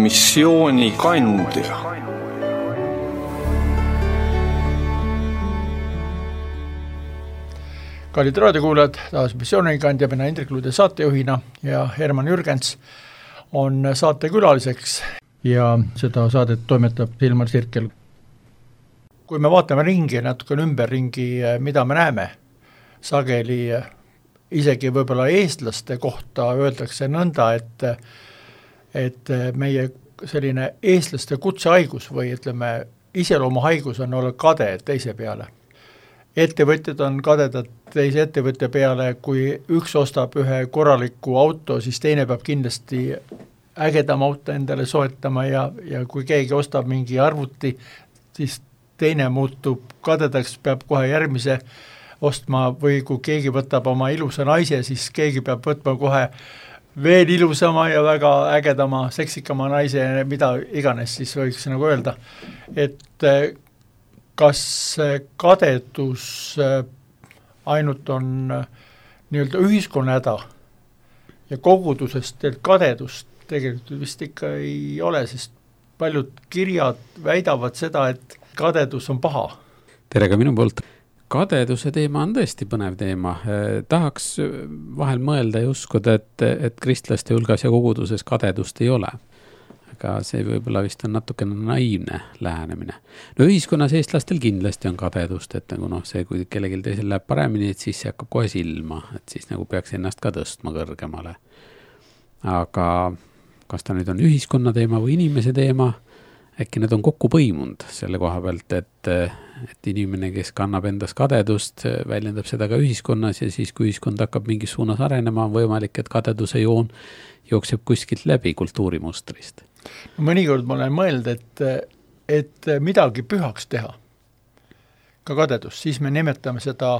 missiooni kandja. Kallid raadiokuulajad, taas missioonikandja, mina Indrek Lude saatejuhina ja Herman Jürgens on saatekülaliseks ja seda saadet toimetab Hilmar Sirkel. Kui me vaatame ringi, natuke ümberringi, mida me näeme, sageli isegi võib-olla eestlaste kohta öeldakse nõnda, et meie selline eestlaste kutsehaigus või ütleme, iseloomuhaigus on olla kade teise peale. Ettevõtjad on kadedad teise ettevõtja peale, kui üks ostab ühe korraliku auto, siis teine peab kindlasti ägedam auto endale soetama ja kui keegi ostab mingi arvuti, siis teine muutub kadedaks, peab kohe järgmise ostma või kui keegi võtab oma ilusa naise, siis keegi peab võtma kohe veel ilusama ja väga ägedama, seksikama naise, mida iganes siis võiks nagu öelda. Et kas kadedus ainult on nii-öelda ühiskonna häda ja kogudusest kadedust tegelikult vist ikka ei ole, sest paljud kirjad väidavad seda, et kadedus on paha. Tere ka minu poolt. Kadeduse teema on tõesti põnev teema. Tahaks vahel mõelda ja uskuda, et kristlaste hulgas ja koguduses kadedust ei ole. Aga see võib-olla vist on natukene naiivne lähenemine. No ühiskonnas eestlastel kindlasti on kadedust, et nagu see, kui kellelgi teisel läheb paremini, et siis see hakkab kohe silma, et siis nagu peaks ennast ka tõstma kõrgemale. Aga kas ta nüüd on ühiskonna teema või inimese teema, äkki need on kokku põimunud selle koha pealt, et inimene, kes kannab endas kadedust, väljendab seda ka ühiskonnas ja siis, kui ühiskond hakkab mingis suunas arenema, on võimalik, et kadeduse joon jookseb kuskilt läbi kultuurimustrist. Mõnikord ma olen mõeld, et midagi pühaks teha, ka kadedus, siis me nimetame seda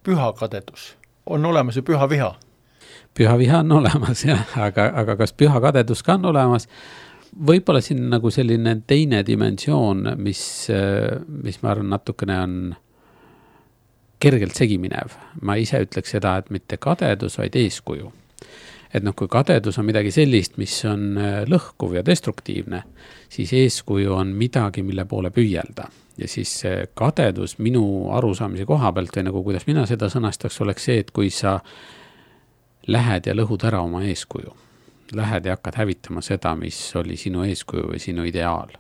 püha kadedus. On olemas ju püha viha. Püha viha on olemas, jah, aga kas püha kadedus ka on olemas? Võib-olla siin nagu selline teine dimensioon, mis ma arvan natukene on kergelt segiminev. Ma ise ütleks seda, et mitte kadedus, vaid eeskuju. Et kui kadedus on midagi sellist, mis on lõhkuv ja destruktiivne, siis eeskuju on midagi, mille poole püüelda. Ja siis kadedus minu arusaamise koha pealt või nagu kuidas mina seda sõnastaks, oleks see, et kui sa lähed ja lõhud ära oma eeskuju, lähed ja hakkad hävitama seda, mis oli sinu eeskuju või sinu ideaal.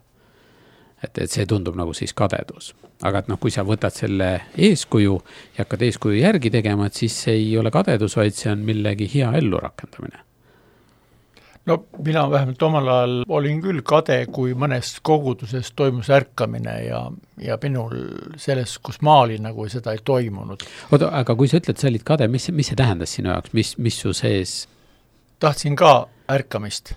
Et see tundub nagu siis kadedus. Aga et kui sa võtad selle eeskuju ja hakkad eeskuju järgi tegema, et siis see ei ole kadedus, vaid see on millegi hea ellu rakendamine. No mina vähemalt omal ajal olin küll kade, kui mõnes koguduses toimus ärkamine ja minul selles, kus ma olin, nagu seda ei toimunud. Oota, aga kui sa ütled, sa olid kade, mis see tähendas sinu jaoks? Mis su sees? Tahtsin ka ärkamist.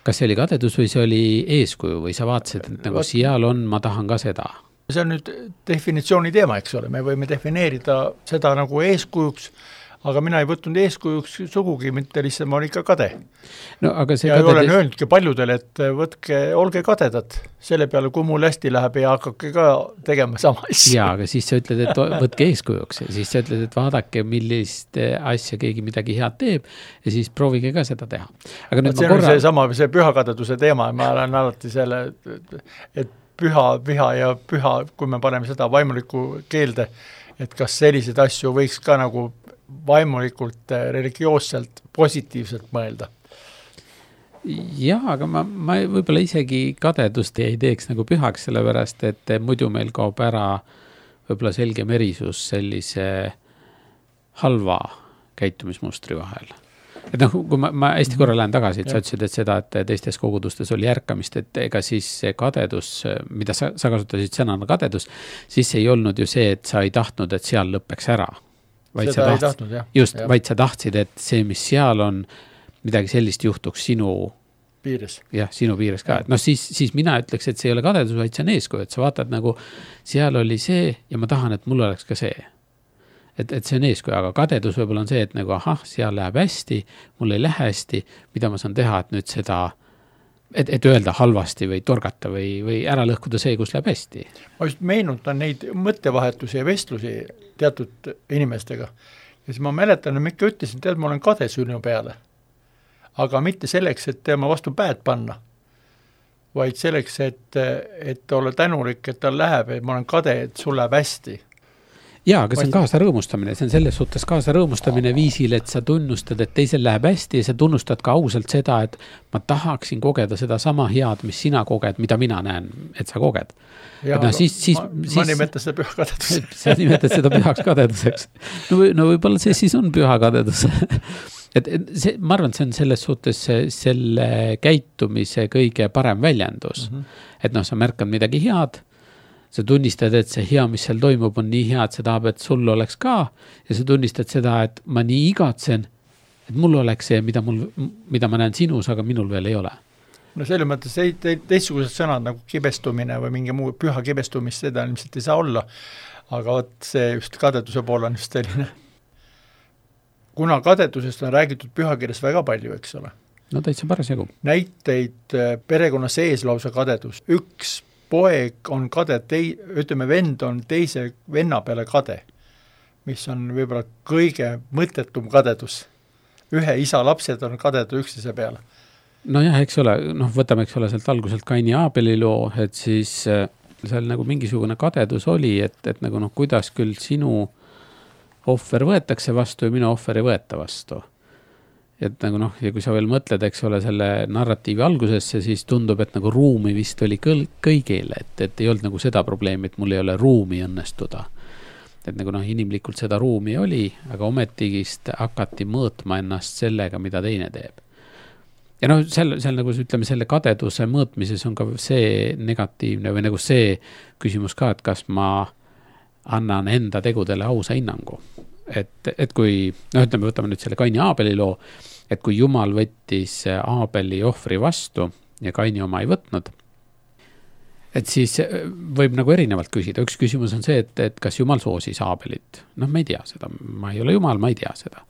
Kas see oli kadedus või see oli eeskuju või sa vaatasid, et nagu seal on, ma tahan ka seda? See on nüüd definitsiooni teema, eks ole. Me võime defineerida seda nagu eeskujuks, aga mina ei võtnud eeskujuks sugugi, mitte lihtsalt ma olin ikka kade. No, aga see ja olen öelnudki paljudele, et olge kadedad selle peale, kui mul hästi läheb ja hakkake ka tegema sama asja. Jaa, aga siis sa ütled, et võtke eeskujuks ja siis sa ütled, et vaadake, millist asja keegi midagi head teeb ja siis proovige ka seda teha. Aga nüüd on see pühakadeduse teema, ma olen alati selle, et püha, viha ja püha, kui me paneme seda vaimuliku keelde, et kas selliseid asju võiks ka nagu vaimulikult, religioosselt, positiivselt mõelda. Jah, aga ma võib-olla isegi kadedust ei teeks nagu pühaks, sellepärast, et muidu meil kaob ära võib-olla selge merisus sellise halva käitumismustri vahel. Et kui ma hästi korra lähen tagasi, et sa ütlesid, et seda, et teistes kogudustes oli ärkamist, et ega siis see kadedus, mida sa kasutasid sõnana kadedus, siis ei olnud ju see, et sa ei tahtnud, et seal lõppeks ära. Vaid sa tahtsid, et see, mis seal on, midagi sellist juhtuks sinu piires. Jah, sinu piires ka. Siis mina ütleks, et see ei ole kadedus, vaid see on eeskuju, et sa vaatad nagu seal oli see ja ma tahan, et mul oleks ka see. Et see on eeskuju, aga kadedus võib-olla on see, et nagu seal läheb hästi, mul ei lähe hästi, mida ma saan teha, et nüüd seda, et öelda halvasti või torgata või ära lõhkuda see, kus läheb hästi. Ma just meenutan neid mõttevahetusi ja vestlusi teatud inimestega. Ja siis ma mäletan, et ma ikka ütlesin, et ma olen kade sinu peale. Aga mitte selleks, et tema vastu päed panna, vaid selleks, et olla tänulik, et tal läheb, et ma olen kade, et sul läheb hästi. Jaa, aga see on kaasa rõõmustamine, see on selles suhtes kaasa rõõmustamine viisil, et sa tunnustad, et teisel läheb hästi ja sa tunnustad ka ausalt seda, et ma tahaksin kogeda seda sama head, mis sina koged, mida mina näen, et sa koged. Ja, no, ma nimetan seda püha kadeduseks. Sa nimetad seda pühaks kadeduseks. No võib-olla see siis on püha kadedus. See, ma arvan, see on selles suhtes selle käitumise kõige parem väljendus. Et noh, sa märkad midagi head, sa tunnistad, et see hea, mis seal toimub, on nii hea, et see tahab, et sul oleks ka ja sa tunnistad seda, et ma nii igatsen, et mul oleks see, mida ma näen sinus, aga minul veel ei ole. No selles mõttes teistsugused sõnad nagu kibestumine või mingi muu püha kibestumist, seda ilmselt ei saa olla, aga see just kadeduse pool on just selline. Kuna kadedusest on räägitud pühakirjas väga palju, eks ole. No täitsa parasjagu. Näiteid perekonna sees lausa kadedus. Üks poeg on kade, ütleme vend on teise venna peale kade, mis on võib-olla kõige mõttetum kadedus. Ühe isa lapsed on kadedu üksteise peale. No jah, eks ole, võtame eks ole sealt alguselt Kaini ja Aabeli loo, et siis seal nagu mingisugune kadedus oli, et nagu kuidas küll sinu ohver võetakse vastu ja minu ohver ei võeta vastu. Et nagu ja kui sa veel mõtled, eks ole, selle narratiivi algusesse, siis tundub, et nagu ruumi vist oli kõigile, et ei olnud nagu seda probleemi, et mul ei ole ruumi õnnestuda. Et nagu inimlikult seda ruumi oli, aga ometigist hakati mõõtma ennast sellega, mida teine teeb. Ja seal nagu ütleme, selle kadeduse mõõtmises on ka see negatiivne või nagu see küsimus ka, et kas ma annan enda tegudele ausa hinnangu. Et kui, ütleme, võtame nüüd selle Kaini ja Aabeli loo, et kui Jumal võttis Aabeli ohvri vastu ja Kaini oma ei võtnud, et siis võib nagu erinevalt küsida. Üks küsimus on see, et kas Jumal soosis Aabelit. Ma ei tea seda, ma ei ole Jumal, ma ei tea seda.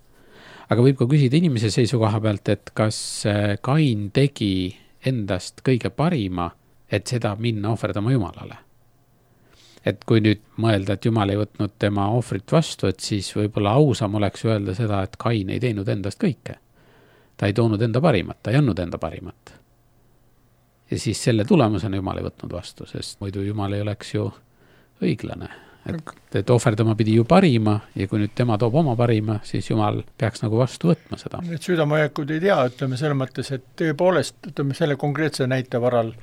Aga võib ka küsida inimese seisukoha pealt, et kas Kain tegi endast kõige parima, et seda minna ohverdama Jumalale. Et kui nüüd mõelda, et Jumal ei võtnud tema ohvrit vastu, et siis võib-olla ausam oleks öelda seda, et Kain ei teinud endast kõike. Ta ei toonud enda parimat, ta ei andnud enda parimat. Ja siis selle tulemusena Jumal ei võtnud vastu, sest muidu Jumal ei oleks ju õiglane. Et ohverdama pidi ju parima ja kui nüüd tema toob oma parima, siis Jumal peaks nagu vastu võtma seda. Need südamehoiakud ei tea, ütleme selle mõttes, et tõepoolest, ütleme selle konkreetse näite varal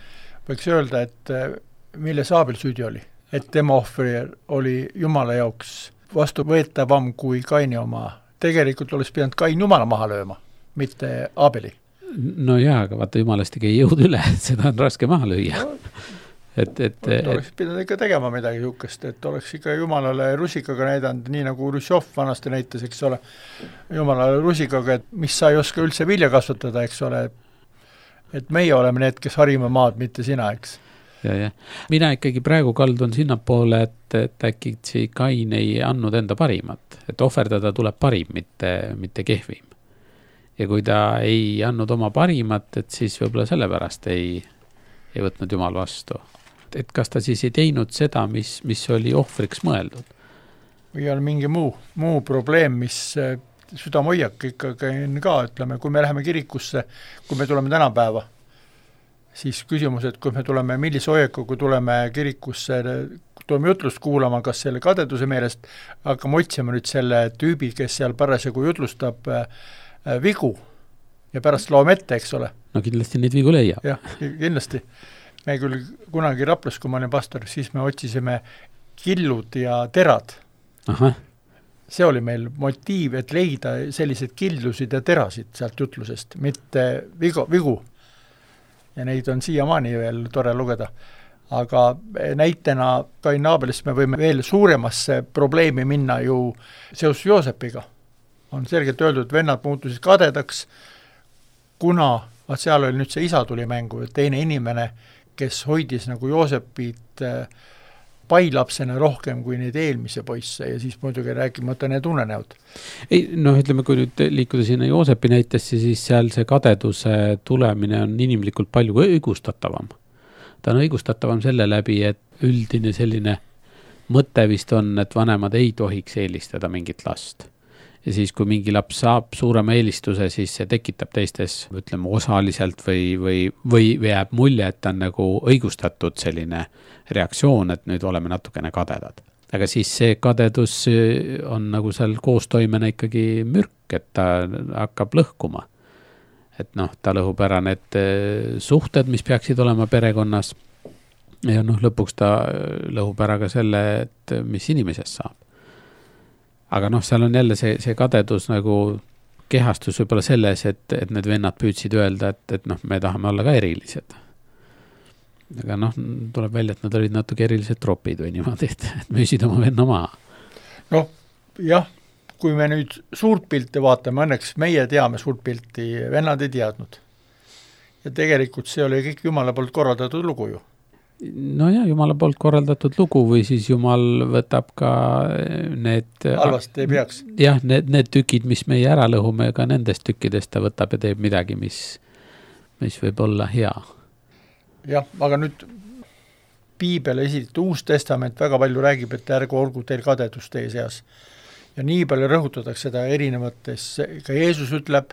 võiks öelda, et milles Aabel süüdi oli. Et tema ohver oli Jumala jaoks vastuvõetavam kui Kaini oma. Tegelikult oleks pidanud Kain Jumala maha lööma, mitte Aabeli. No jaa, aga vaata Jumalast ei jõud üle, et seda on raske maha lüüa. Oleks pidanud ikka tegema midagi sihukest, et oleks ikka Jumalale rusikaga näidanud, nii nagu Rusjov vanasti näitas, eks ole, Jumalale rusikaga, et mis sa ei oska üldse vilja kasvatada, eks ole, et meie oleme need, kes harime maad, mitte sina, eks. Ja. Mina ikkagi praegu kaldun sinna poole, et äkki Kain ei andnud enda parimat, et ohverdada tuleb parim, mitte kehvim. Ja kui ta ei andnud oma parimat, et siis võib-olla sellepärast ei võtnud Jumal vastu. Et kas ta siis ei teinud seda, mis oli ohvriks mõeldud? Või on mingi muu probleem, mis südamehoiak ikkagi on ka, ütleme, kui me läheme kirikusse, kui me tuleme tänapäeva, siis küsimus, et kui me tuleme, millise hoiaku, kui tuleme kirikusse, tuleme jutlust kuulama, kas selle kadeduse meelest hakkame otsima nüüd selle tüübi, kes seal parasjagu jutlustab vigu ja pärast loome ette, eks ole. No kindlasti neid vigu leia. Jah, kindlasti. Me küll kunagi Raplas, kui ma olin pastor, siis me otsisime killud ja terad. Aha. See oli meil motiiv, et leida sellised killusid ja terasid sealt jutlusest, mitte vigu. Ja neid on siiamaani veel tore lugeda. Aga näitena Kain Aabelist me võime veel suuremasse probleemi minna ju seos Joosepiga. On selgelt öeldud, et vennad muutusid kadedaks, kuna seal oli nüüd see isa tuli mängu, teine inimene, kes hoidis nagu Joosepit pailapsena rohkem kui neid eelmise poisse ja siis muidugi rääkimata need unenäod. Ei, ütleme, kui nüüd liikuda sinna Joosepi näitesse, siis seal see kadeduse tulemine on inimlikult palju õigustatavam. Ta on õigustatavam selle läbi, et üldine selline mõte vist on, et vanemad ei tohiks eelistada mingit last. ja siis, kui mingi laps saab suurema eelistuse, siis see tekitab teistes, ütleme, osaliselt või jääb mulje, et ta on nagu õigustatud selline reaktsioon, et nüüd oleme natukene kadedad. Aga siis see kadedus on nagu seal koostoimena ikkagi mürk, et ta hakkab lõhkuma. Et noh, ta lõhub ära need suhted, mis peaksid olema perekonnas ja noh, lõpuks ta lõhub ära ka selle, et mis inimesest saab. Aga noh, seal on jälle see kadedus nagu kehastus võib-olla selles, et need vennad püüdsid öelda, et noh, me tahame olla ka erilised. Aga noh, tuleb välja, et nad olid natuke erilised tropid või niimoodi, et müüsid oma venna maha. Noh, jah, kui me nüüd suurt pilti vaatame, õnneks meie teame suurt pilti, vennad ei teadnud. Ja tegelikult see oli kõik Jumala poolt korraldatud lugu ju. No ja, Jumala poolt korraldatud lugu või siis Jumal võtab ka need... Halvasti ei peaks. Jah, need tükid, mis meie ära lõhume, ka nendest tükkidest ta võtab ja teeb midagi, mis võib olla hea. Jah, aga nüüd Piibel esitab, Uus Testament väga palju räägib, et ärgu olgu teil kadedus teie seas. Ja nii palju rõhutatakse seda erinevates, ka Jeesus ütleb,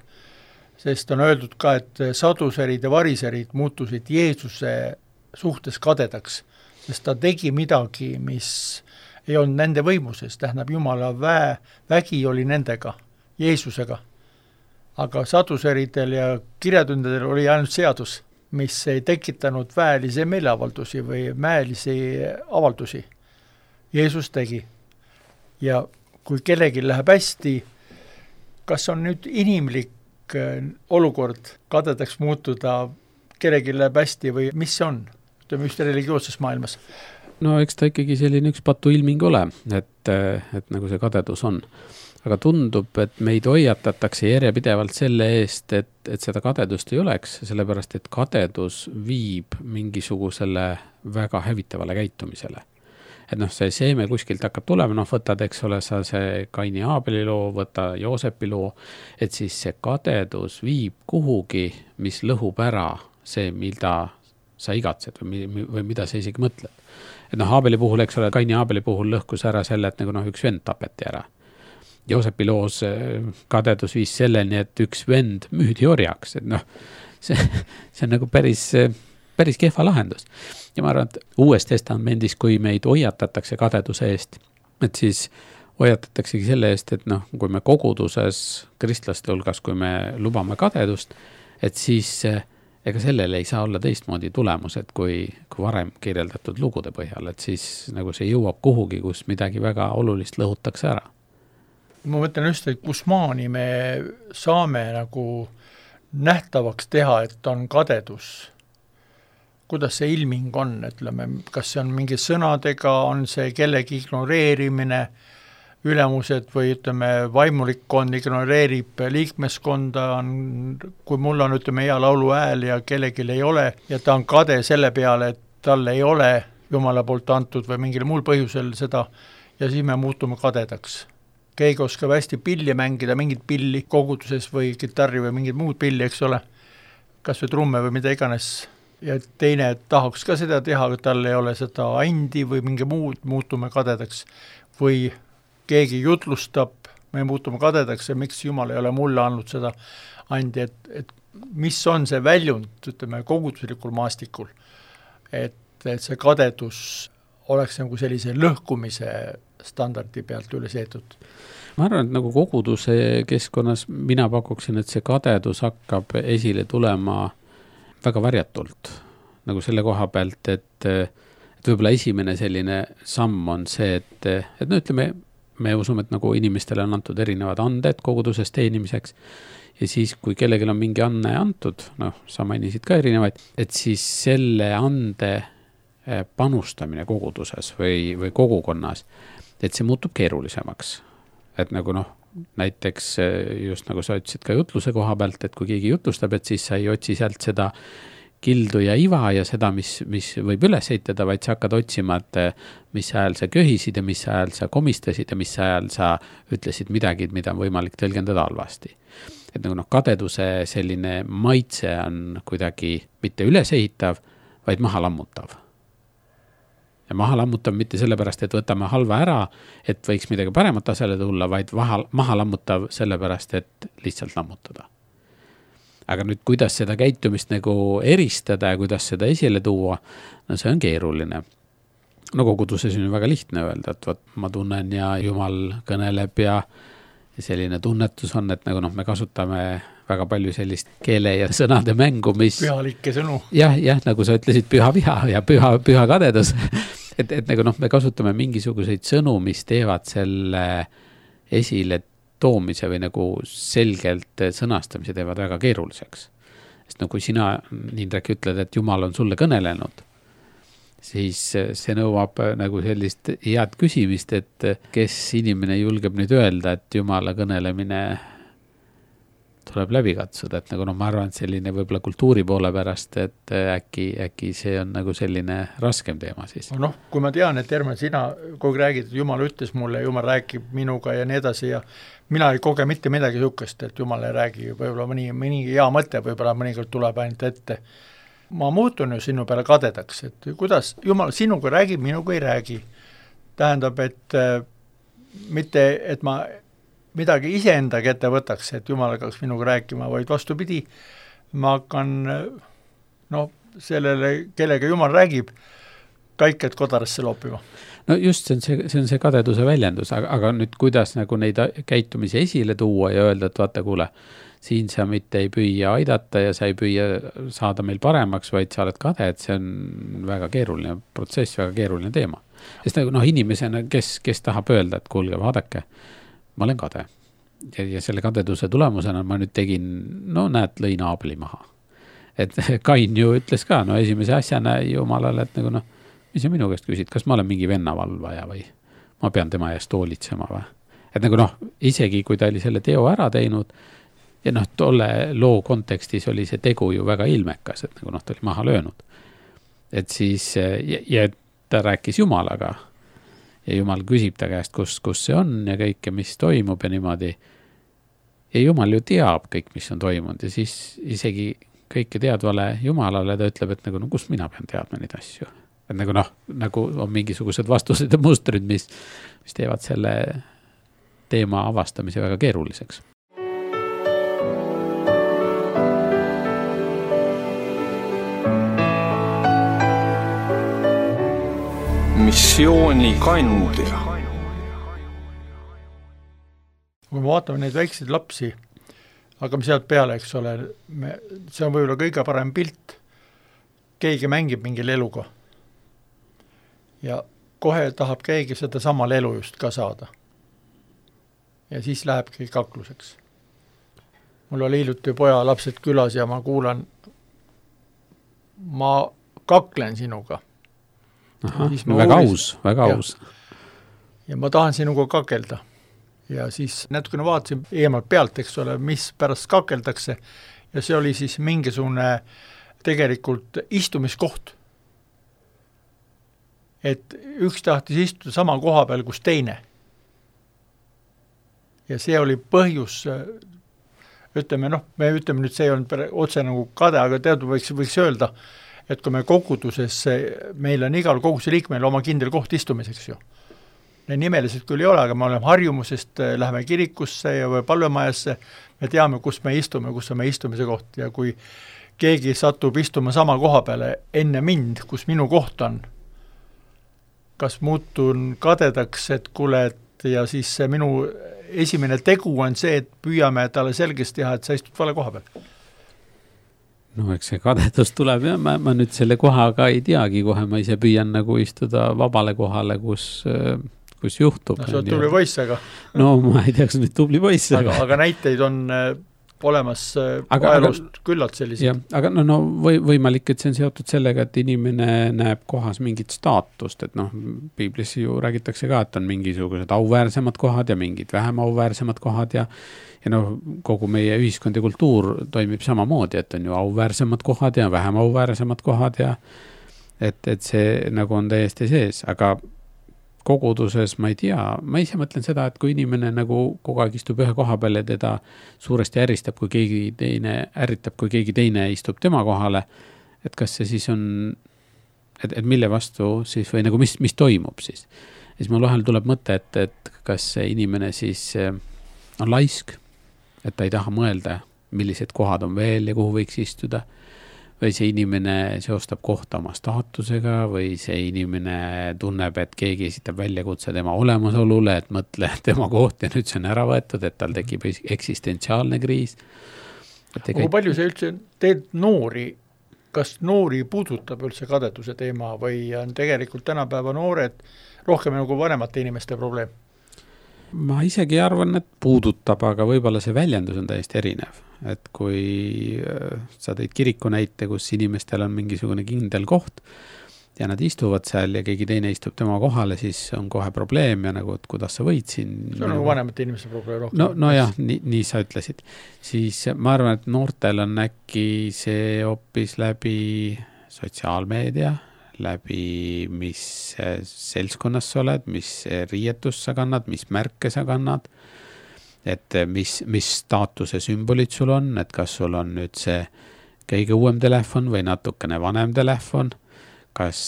sest on öeldud ka, et saduserid ja variserid muutusid Jeesuse suhtes kadedaks, sest ta tegi midagi, mis ei olnud nende võimuses, tähendab Jumala vägi oli nendega, Jeesusega. Aga saduseridel ja kirjatundadel oli ainult seadus, mis ei tekitanud väelisi meeleavaldusi või mäelisi avaldusi. Jeesus tegi. Ja kui kellegi läheb hästi, kas on nüüd inimlik olukord kadedaks muutuda, kellegi läheb hästi või mis see on? Ütleme just religioosses maailmas. No eks ta ikkagi selline üks patuilming ole, et nagu see kadedus on. Aga tundub, et meid hoiatatakse järjepidevalt selle eest, et seda kadedust ei oleks, sellepärast, et kadedus viib mingisugusele väga hävitavale käitumisele. Et noh, see seeme kuskilt hakkab tulema, noh võtad, eks ole, sa see Kaini Aabeli loo, võta Joosepi loo, et siis see kadedus viib kuhugi, mis lõhub ära see, mida sa igatsed või mida sa isegi mõtled. Et noh, Aabeli puhul, eks ole, Kaini Aabeli puhul lõhkus ära selle, et nagu noh, üks vend tapeti ära. Joosepi loos kadedus viis selleni, et üks vend müüdi orjaks, et noh, see on nagu päris kehva lahendus. Ja ma arvan, et Uues Testamendis, kui meid hoiatatakse kadeduse eest, et siis hoiatataksegi selle eest, et noh, kui me koguduses kristlaste hulgas, kui me lubame kadedust, et siis ega sellele ei saa olla teistmoodi tulemus, et kui varem kirjeldatud lugude põhjal, et siis nagu see jõuab kuhugi, kus midagi väga olulist lõhutakse ära. Ma mõtlen just, et kus maani me saame nagu nähtavaks teha, et on kadedus. Kuidas see ilming on, ütleme, kas see on mingi sõnadega, on see kellegi ignoreerimine, ülemused või ütleme, vaimulikkond ignoreerib liikmeskonda, kui mul on ütleme hea laulu hääl ja kellelgi ei ole ja ta on kade selle peale, et tal ei ole Jumala poolt antud või mingil muul põhjusel seda ja siis me muutume kadedaks. Keegi oskab hästi pilli mängida, mingit pilli koguduses või kitarri või mingit muud pilli, eks ole, kas või trumme või mida iganes ja teine tahaks ka seda teha, aga tal ei ole seda andi või mingi muud, muutume kadedaks või keegi jutlustab, me muutume kadedaks ja miks Jumal ei ole mulle andnud seda andi, et mis on see väljund, ütleme, koguduslikul maastikul, et see kadedus oleks nagu sellise lõhkumise standardi pealt üles eetud. Ma arvan, et nagu koguduse keskkonnas mina pakuksin, et see kadedus hakkab esile tulema väga varjatult, nagu selle koha pealt, et võib-olla esimene selline samm on see, et no ütleme, me usume, et nagu inimestele on antud erinevad anded koguduses teenimiseks ja siis, kui kellelgi on mingi anne antud, noh, sa mainisid ka erinevaid, et siis selle ande panustamine koguduses või kogukonnas, et see muutub keerulisemaks. Et nagu noh, näiteks just nagu sa ütlesid ka jutluse koha pealt, et kui keegi jutlustab, et siis sa ei otsi sealt seda kildu ja iva ja seda, mis võib üles heitada, vaid sa hakkad otsima, et mis ajal sa köhisid ja mis ajal sa komistasid ja mis ajal sa ütlesid midagi, mida on võimalik tõlgendada halvasti. Et nagu noh, kadeduse selline maitse on kuidagi mitte ülesehitav, vaid maha lammutav. Ja maha lammutav mitte sellepärast, et võtame halva ära, et võiks midagi paremat asele tulla, vaid maha lammutav sellepärast, et lihtsalt lammutada. Aga nüüd, kuidas seda käitumist nagu eristada ja kuidas seda esile tuua, no see on keeruline. No koguduses on väga lihtne öelda, et võt, ma tunnen ja Jumal kõneleb ja selline tunnetus on, et nagu me kasutame väga palju sellist keele ja sõnade mängu, mis... Pühalikke sõnu. Jah, nagu sa ütlesid, püha viha ja püha kadedus. et nagu me kasutame mingisuguseid sõnu, mis teevad selle esile toomise või nagu selgelt sõnastamise teevad väga keeruliseks. Sest kui sina, Indrek, ütled, et Jumal on sulle kõnelenud, siis see nõuab nagu sellist head küsimist, et kes inimene julgeb nüüd öelda, et Jumala kõnelemine tuleb läbi katsuda, et nagu ma arvan, et selline võib-olla kultuuri poole pärast, et äkki see on nagu selline raskem teema siis. Kui ma tean, et Herman, sina kogu räägid, et Jumal ütles mulle, Jumal räägib minuga ja nii edasi ja mina ei koge mitte midagi sukest, et Jumal ei räägi, võib-olla mõni hea mõte võib-olla mõnikord tuleb ainult ette. Ma muutun ju sinu peale kadedaks, et kuidas Jumal sinuga räägib, minuga ei räägi. Tähendab, et mitte, et ma midagi iseenda kätte võtaks, et Jumal hakkaks minuga rääkima, vaid vastupidi, ma hakkan sellele, kellega Jumal räägib, kaiked kodarasse loopima. No just, see on see kadeduse väljendus, aga nüüd kuidas nagu neid käitumisi esile tuua ja öelda, et vaata, kuule, siin sa mitte ei püüa aidata ja sa ei püüa saada meil paremaks, vaid sa oled kade, et see on väga keeruline protsess, väga keeruline teema. Sest nagu inimesena, kes tahab öelda, et kuulge, vaadake, ma olen kade. Ja selle kadeduse tulemusena ma nüüd tegin, näed, lõin Aabeli maha. Et Kain ju ütles ka, esimese asjana Jumalale, et nagu mis sa minu käest küsid, kas ma olen mingi vennavalvaja või ma pean tema eest hoolitsema või? Et nagu isegi kui ta oli selle teo ära teinud ja tolle loo kontekstis oli see tegu ju väga ilmekas, et nagu ta oli maha löönud. Et siis, ja ta rääkis Jumalaga ja Jumal küsib ta käest, kus see on ja kõike, mis toimub ja niimoodi. Ja Jumal ju teab kõik, mis on toimunud ja siis isegi kõike teadvale Jumalale ta ütleb, et nagu, kus mina pean teadma neid asju. Et nagu on mingisugused vastused ja mustrid, mis teevad selle teema avastamise väga keeruliseks. Missiooni kandja. Kui me vaatame neid väikseid lapsi, hakkame sealt peale, eks ole, see on võib-olla kõige parem pilt. Keegi mängib mingil eluga. Ja kohe tahab keegi seda samal elu just ka saada. Ja siis lähebki kakluseks. Mul oli hiljuti poja lapsed külas ja ma kuulan, ma kaklen sinuga. Aha, väga aus. Ja ma tahan sinuga kakelda. Ja siis natukene vaatasin eemalt pealt, eks ole, mis pärast kakeldakse. Ja see oli siis mingisugune tegelikult istumiskoht. Et üks tahtis istuda sama koha peal, kus teine. Ja see oli põhjus, ütleme nüüd see on otse nagu kade, aga teadu võiks öelda, et kui me koguduses, meil on igal koguduse liikmel oma kindel koht istumiseks ju. Need nimelised küll ei ole, aga me oleme harjumusest, läheme kirikusse ja või palvemajasse, me teame, kus me istume, kus on meie istumise koht ja kui keegi satub istuma sama koha peale enne mind, kus minu koht on, kas muutun kadedaks, et kuule, ja siis see minu esimene tegu on see, et püüame talle selgest teha, et sa istud vale koha peal. Eks see kadedus tuleb ja ma nüüd selle kohaga ei teagi kohe, ma ise püüan nagu istuda vabale kohale, kus juhtub. See on tubli poiss, aga... ma ei tea, kas nüüd tubli poiss. Aga näiteid on olemas ajaloost küllalt sellised. Aga võimalik, et see on seotud sellega, et inimene näeb kohas mingit staatust, et piiblis ju räägitakse ka, et on mingisugused auväärsemad kohad ja mingid vähem auväärsemad kohad ja kogu meie ühiskond ja kultuur toimib samamoodi, et on ju auväärsemad kohad ja vähem auväärsemad kohad ja et see nagu on täiesti sees, aga koguduses ma ei tea, ma ise mõtlen seda, et kui inimene nagu kogu aeg istub ühe koha peal ja teda suuresti ärritab, kui keegi teine istub tema kohale, et kas see siis on et mille vastu siis või nagu mis toimub siis mul vahel tuleb mõte, et kas see inimene siis on laisk, et ta ei taha mõelda, millised kohad on veel ja kuhu võiks istuda, või see inimene seostab kohta oma staatusega või see inimene tunneb, et keegi esitab väljakutse tema olemasolule, et mõtle tema koht ja nüüd see on ära võetud, et tal tekib eksistentsiaalne kriis. Kui palju see üldse teed noori, kas noori puudutab üldse kadeduse teema või on tegelikult tänapäeva noored rohkem nagu vanemate inimeste probleem? Ma isegi arvan, et puudutab, aga võib-olla see väljendus on täiesti erinev. Et kui sa tõid kiriku näite, kus inimestel on mingisugune kindel koht ja nad istuvad seal ja keegi teine istub tema kohale, siis on kohe probleem ja nagu, et kuidas sa võid siin. See on nagu vanemate inimeste probleem rohkem. No jah, nii sa ütlesid. Siis ma arvan, et noortel on äkki see hoopis läbi sotsiaalmeedia, läbi mis seltskonnas sa oled, mis riietus sa kannad, mis märke sa kannad, et mis staatuse sümbolid sul on, et kas sul on nüüd see kõige uuem telefon või natukene vanem telefon, kas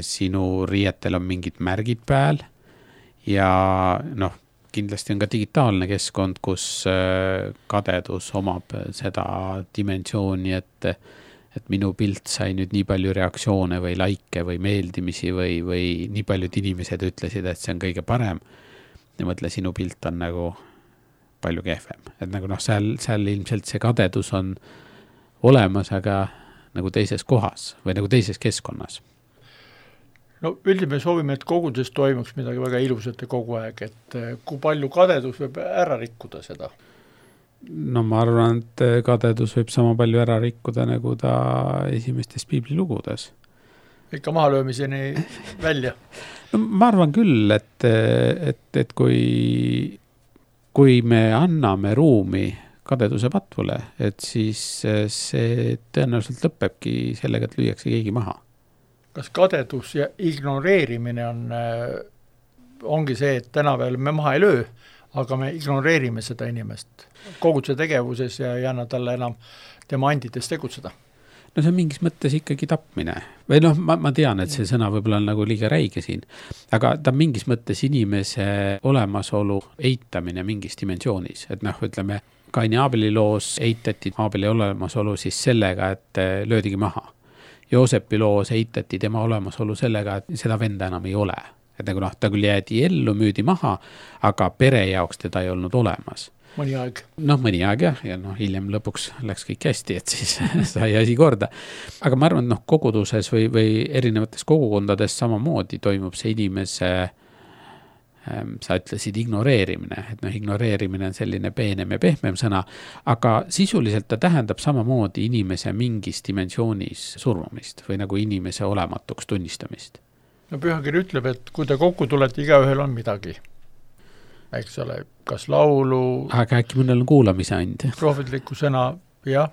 sinu riietel on mingid märgid peal ja kindlasti on ka digitaalne keskkond, kus kadedus omab seda dimensiooni, et minu pilt sai nüüd nii palju reaktsioone või laike või meeldimisi või nii paljud inimesed ütlesid, et see on kõige parem ja mõtle, sinu pilt on nagu palju kehvem. Et nagu seal ilmselt see kadedus on olemas, aga nagu teises kohas või nagu teises keskkonnas. No üldiselt me soovime, et koguduses toimuks midagi väga ilusat ja kogu aeg, et kui palju kadedus võib ära rikkuda seda? No ma arvan, et kadedus võib sama palju ära rikkuda, nagu ta esimestes piiblilugudes. Ikka mahalöömiseni välja? No ma arvan küll, et kui me anname ruumi kadeduse patvule, et siis see tõenäoliselt lõpebki sellega, et lüüakse keegi maha. Kas kadedus ja ignoreerimine ongi see, et täna veel me maha ei löö, aga me ignoreerime seda inimest koguduse tegevuses ja ei anna talle enam tema andides tegutseda? No see on mingis mõttes ikkagi tapmine. Või ma tean, et see sõna võib-olla on nagu liiga räige siin, aga ta mingis mõttes inimese olemasolu eitamine mingis dimensioonis. Et ütleme, Kaini Aabeli loos eitati Aabeli olemasolu siis sellega, et löödigi maha. Joosepi loos eitati tema olemasolu sellega, et seda venda enam ei ole. Et nagu ta küll jäädi ellu, müüdi maha, aga pere jaoks teda ei olnud olemas. Mõni aeg. Mõni aeg jah, ja hiljem lõpuks läks kõik hästi, et siis sai asi korda. Aga ma arvan, koguduses või erinevates kogukondades samamoodi toimub see inimese, sa ütlesid ignoreerimine, et ignoreerimine on selline peenem ja pehmem sõna, aga sisuliselt ta tähendab samamoodi inimese mingis dimensioonis surmamist või nagu inimese olematuks tunnistamist. No pühakiri ütleb, et kui te kokku tulete, igaühel on midagi. Eks ole, kas laulu... Aga äkki mõnel on kuulamise and. Prohvetliku sõna, jah.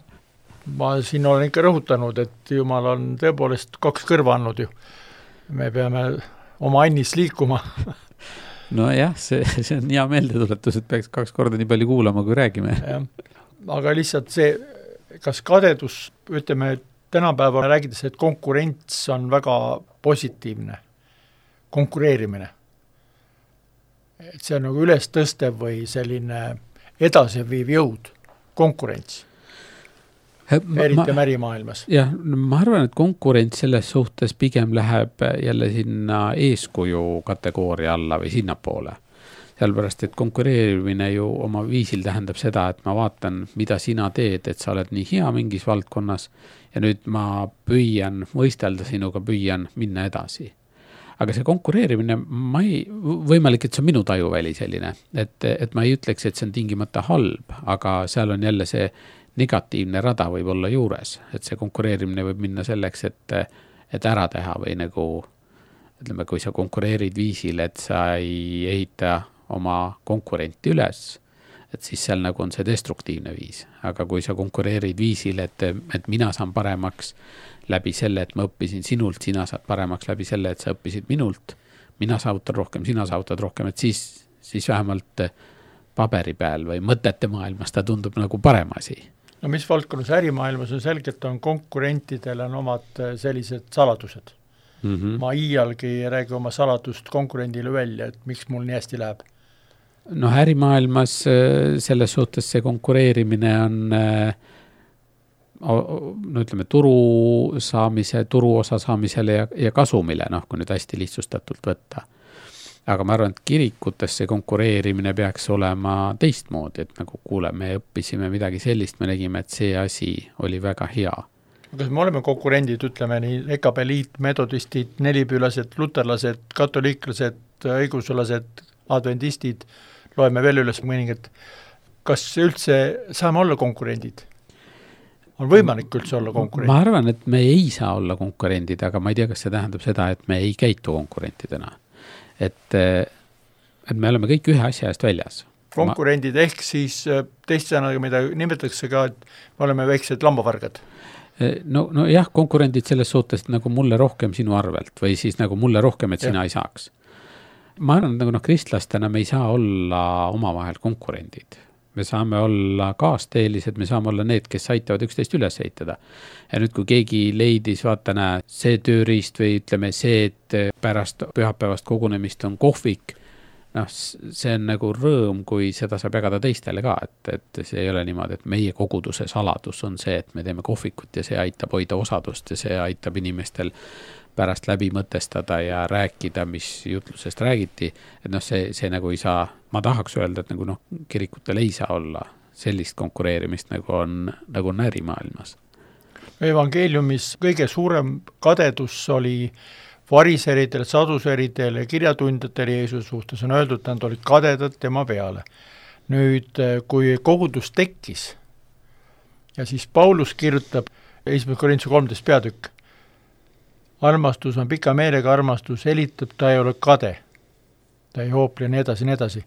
Ma siin olen ikka rõhutanud, et Jumal on tõepoolest 2 kõrva andnud ju. Me peame oma annis liikuma. No jah, see on hea meeldetuletus, et peaks 2 korda nii palju kuulama, kui räägime. Ja. Aga lihtsalt see, kas kadedus, ütleme, tänapäeval räägides, et konkurents on väga positiivne. Konkureerimine. Et see on nagu üles tõstev või selline edasiviiv jõud, konkurents. Eriti märimaailmas. Jah, ma arvan, et konkurents selles suhtes pigem läheb jälle sinna eeskuju kategooria alla või sinnapoole. Sellepärast, et konkureerimine ju oma viisil tähendab seda, et ma vaatan, mida sina teed, et sa oled nii hea mingis valdkonnas ja nüüd ma püüan võistelda sinuga, püüan minna edasi. Aga see konkureerimine, võimalik, et see on minu tajuväli selline, et ma ei ütleks, et see on tingimata halb, aga seal on jälle see negatiivne rada võib olla juures, et see konkureerimine võib minna selleks, et ära teha või nagu, ütleme, kui sa konkureerid viisil, et sa ei ehita oma konkurenti üles, et siis seal nagu on see destruktiivne viis. Aga kui sa konkureerid viisil, et mina saan paremaks läbi selle, et ma õppisin sinult, sina saad paremaks läbi selle, et sa õppisid minult, mina saavutan rohkem, sina saavutad rohkem, et siis vähemalt paberi peal või mõtete maailmas ta tundub nagu parem asi. No mis valdkonnas ärimaailmas on selgelt, on konkurentidel on omad sellised saladused. ma iialgi ei räägi oma saladust konkurendile välja, et miks mul nii hästi läheb. No ärimaailmas selles suhtes see konkureerimine on no ütleme turuosa saamisele ja kasumile, kui nüüd hästi lihtsustatult võtta. Aga ma arvan, et kirikutes see konkureerimine peaks olema teistmoodi, et nagu kuule, me õppisime midagi sellist, me nägime, et see asi oli väga hea. Kas me oleme konkurendid, ütleme nii, EKP liit, metodistid, nelipüülased, luterlased, katoliiklased, õigusulased, adventistid, loeme veel üles mõningad. Kas üldse saame olla konkurendid? On võimalik üldse olla konkurendid? Ma arvan, et me ei saa olla konkurendid, aga ma ei tea, kas see tähendab seda, et me ei käitu konkurentidena. Et me oleme kõik ühe asja eest väljas. Konkurendid ehk siis teist sõnaga, mida nimetatakse ka, et me oleme väiksed lambavargad. No jah, konkurendid selles suhtes nagu mulle rohkem sinu arvelt või siis nagu mulle rohkem, et sina ei saaks. Ma arvan, et nagu kristlastena me ei saa olla omavahel konkurendid. Me saame olla kaasteelised, me saame olla need, kes aitavad üksteist üles eitada. Ja nüüd, kui keegi leidis, vaata näe, see tööriist või ütleme see, et pärast pühapäevast kogunemist on kohvik, see on nagu rõõm, kui seda saab jagada teistele ka, et see ei ole niimoodi, et meie koguduse saladus on see, et me teeme kohvikut ja see aitab hoida osadust ja see aitab inimestel pärast läbi mõtestada ja rääkida, mis jutlusest räägiti, et see nagu ei saa, ma tahaks öelda, et nagu kirikutel ei saa olla sellist konkureerimist, nagu on ärimaailmas. Evangeeliumis kõige suurem kadedus oli variseridel, saduseridel ja kirjatundjatel Jeesuse suhtes on öeldud, et nad olid kadedad tema peale. Nüüd, kui kogudus tekkis ja siis Paulus kirjutab 1. Korintuse 13 peatükk, armastus on pika meelega armastus, helitab, ta ei ole kade, ta ei hoople nii edasi.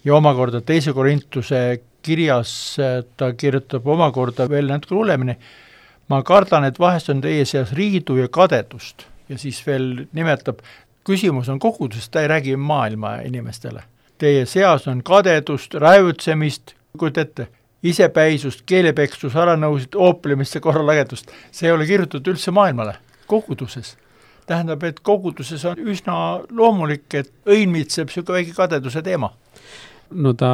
Ja omakorda 2. Korintuse kirjas ta kirjutab omakorda veel natuke hullemini, ma kardan, et vahest on teie seas riidu ja kadedust ja siis veel nimetab, küsimus on kogudusest, ta ei räägi maailma inimestele. Teie seas on kadedust, räävutsemist, kuid ette, isepäisust, keelepeksus, alanõusid, ooplemist ja korralagedust. See ei ole kirjutatud üldse maailmale. Koguduses. Tähendab, et koguduses on üsna loomulik, et õinmitseb siuke väike kadeduse teema. No ta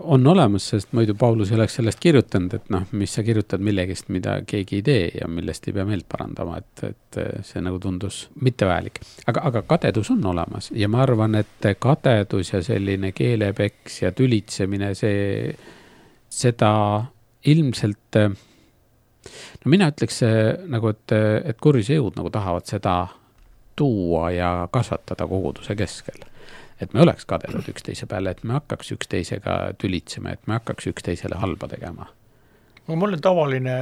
on olemas, sest muidu Paulus ei oleks sellest kirjutanud, et mis sa kirjutad millegist, mida keegi ei tee ja millest ei pea meelt parandama, et see nagu tundus mittevajalik. Aga kadedus on olemas ja ma arvan, et kadedus ja selline keelepeks ja tülitsemine, seda ilmselt mina ütleks nagu, et kurjuse jõud nagu tahavad seda tuua ja kasvatada koguduse keskel. Et me oleks kadedud üksteise peale, et me hakkaks üksteisega tülitsema, et me hakkaks üksteisele halba tegema. Mul on tavaline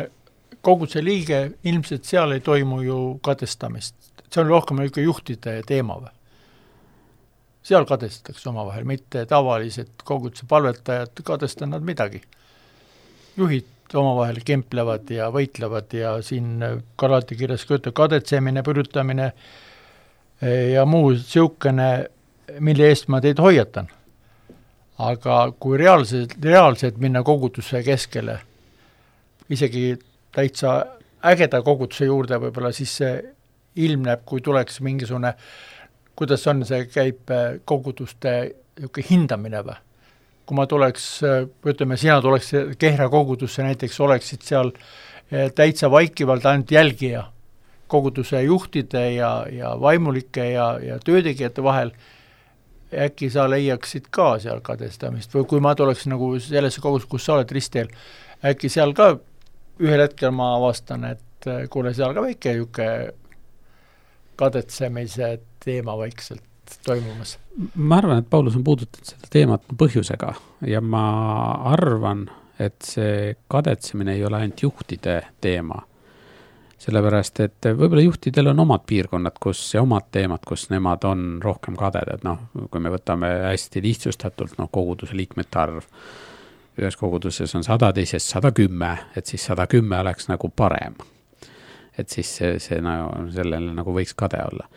koguduse liige, ilmselt seal ei toimu ju kadestamist. See on rohkem juhtide teema või? Seal kadestatakse omavahel, mitte tavalised koguduse palvetajad kadestavad nad midagi. Juhid omavahel kemplevad ja võitlevad ja siin Galati kirjas kadetsemine, pürütamine ja muu siukene, mille eest ma teid hoiatan. Aga kui reaalselt minna koguduse keskele, isegi täitsa ägeda koguduse juurde võib-olla, siis see ilmneb, kui tuleks mingisugune, kuidas on see käib koguduste hindamine või? Kui ma tuleks, ütleme, sina tuleks Kehra kogudusse, näiteks oleksid seal täitsa vaikivalt ainult jälgija koguduse juhtide ja vaimulike ja töötegijate vahel, äkki sa leiaksid ka seal kadestamist või kui ma tuleks nagu sellesse kogudus, kus sa oled ristteel, äkki seal ka ühel hetkel ma avastan, et kuule seal ka väike kadetsemise teema vaikselt toimumas. Ma arvan, et Paulus on puudutanud seda teemat põhjusega ja ma arvan, et see kadetsemine ei ole ainult juhtide teema. Sellepärast, et võib-olla juhtidel on omad piirkonnad, ja omad teemad, kus nemad on rohkem kadedad. Kui me võtame hästi lihtsustatult, koguduse liikmete arv. Ühes koguduses on 100, teises 110, et siis 110 oleks nagu parem. Et siis see sellele nagu võiks kade olla.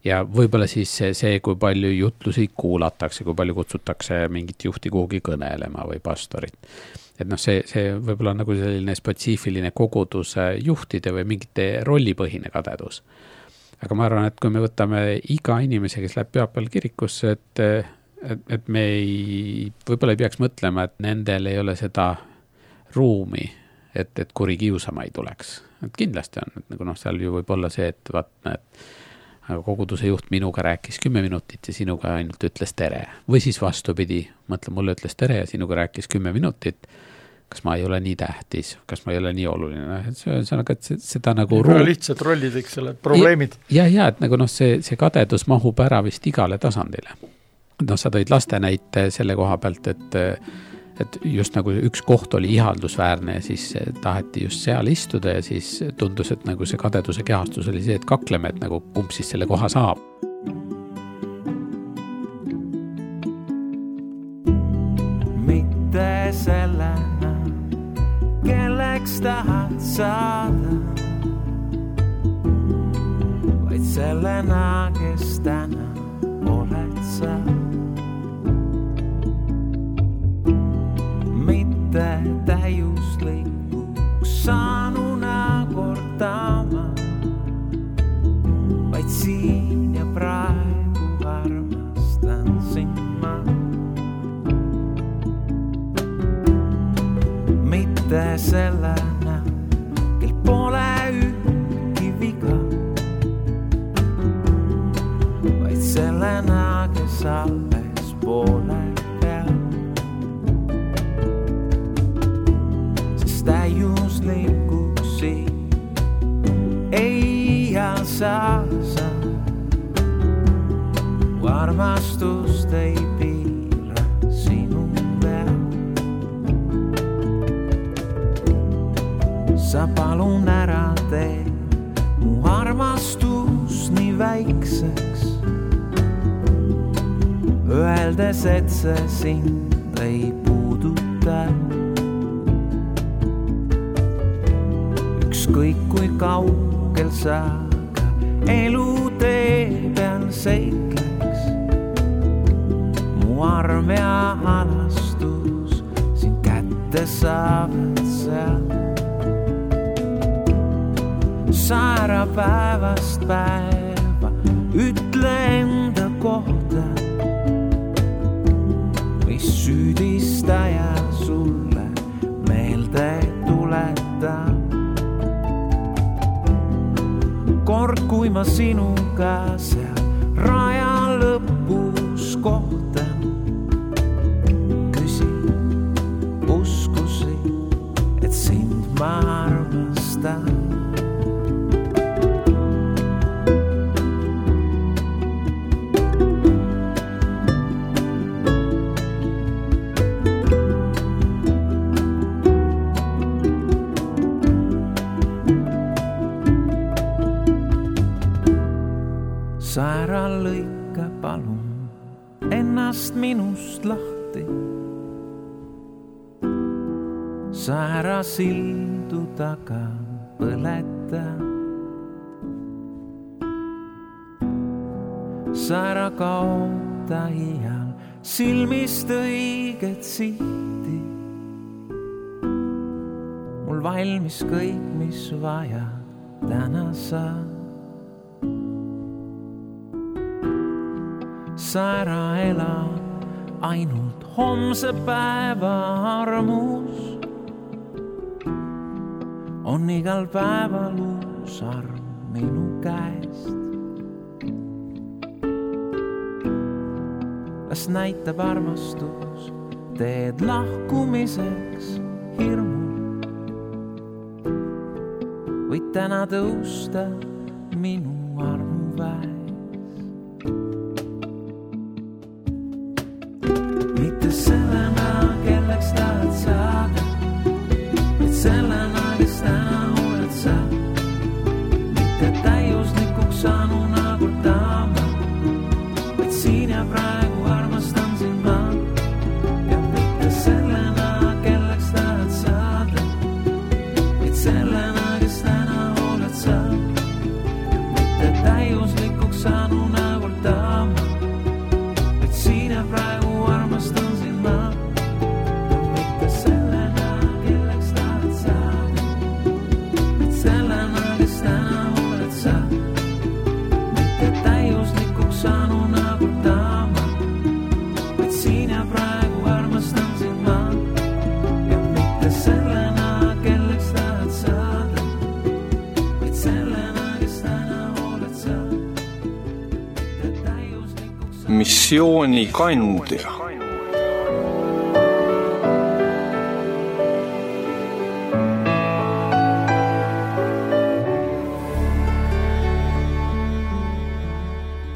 Ja võib-olla siis see, kui palju jutlusi kuulatakse, kui palju kutsutakse mingit juhti kuhugi kõnelema või pastorit. Et see võib-olla nagu selline spetsiifiline koguduse juhtide või mingite rollipõhine kadedus. aga ma arvan, et kui me võtame iga inimese, kes läheb pühapäeval kirikusse, et me võib-olla ei peaks mõtlema, et nendel ei ole seda ruumi, et kuri kiusama ei tuleks. Et kindlasti on, et nagu seal ju võib olla see, et aga koguduse juht minuga rääkis 10 minutit ja sinuga ainult ütles tere. Või siis vastupidi, mõtle, mulle ütles tere ja sinuga rääkis 10 minutit. Kas ma ei ole nii tähtis, kas ma ei ole nii oluline. See on aga seda nagu... Väga lihtsad rollid, eks selle probleemid. Ja, et nagu see kadedus mahub ära vist igale tasandile. Sa tõid laste näite selle koha pealt, et just nagu üks koht oli ihaldusväärne ja siis taheti just seal istuda ja siis tundus, et nagu see kadeduse kehastus oli see, et kakleme, et nagu kumb siis selle koha saab. Mitte sellena, kelleks tahad saada, vaid sellena, kes täna oled sa. Mitte täiuslikuks saanuna kordama, vaid siin ja praegu armastan sind ma. Mitte sellena, kel pole ühtki viga, vaid sellena, kes alles poole peal. Täiuslikuksi ei saa sa, armastust ei piira sinu peal. Sa palun ära tee mu armastus nii väikseks, öeldes, et see sind ei puuduta. Ükskõik kui kaugel sa ka elutee peal seikleks, mu arm ja halastus sind kätte saavad seal. Sa ära päevast päeva ütle enda kohta, mis süüdistaja sulle meelde tuletab. Kord, kui ma sinuga seal raja lõpus kohtan, küsin, uskusi, et sind ma armastan. Sa ära lõika palun ennast minust lahti. Sa ära sildu taga põleta. Sa ära kaota iial silmist õiget sihti. Mul valmis kõik, mis vaja täna saab. Sa ära ela ainult homse päeva armus. On igal päeval uus arm minu käest. Las näitab armastus teed lahkumiseks hirmul. Võid täna tõusta minu armu väes. Mitte sellena, kelleks tahad saada, et sellena, kes täna oled sa. Mitte täiuslikuks saanuna kordama, vaid siin ja praegu armastan sind ma. Ja mitte sellena, kelleks tahad saada, vaid sellena, kes täna oled sa. Mitte täiuslikuks saanuna kordama, vaid siin ja praegu armastan sind ma. Mitte sellena, kelleks tahad saada, vaid sellena, kes täna oled sa. missioonikandja.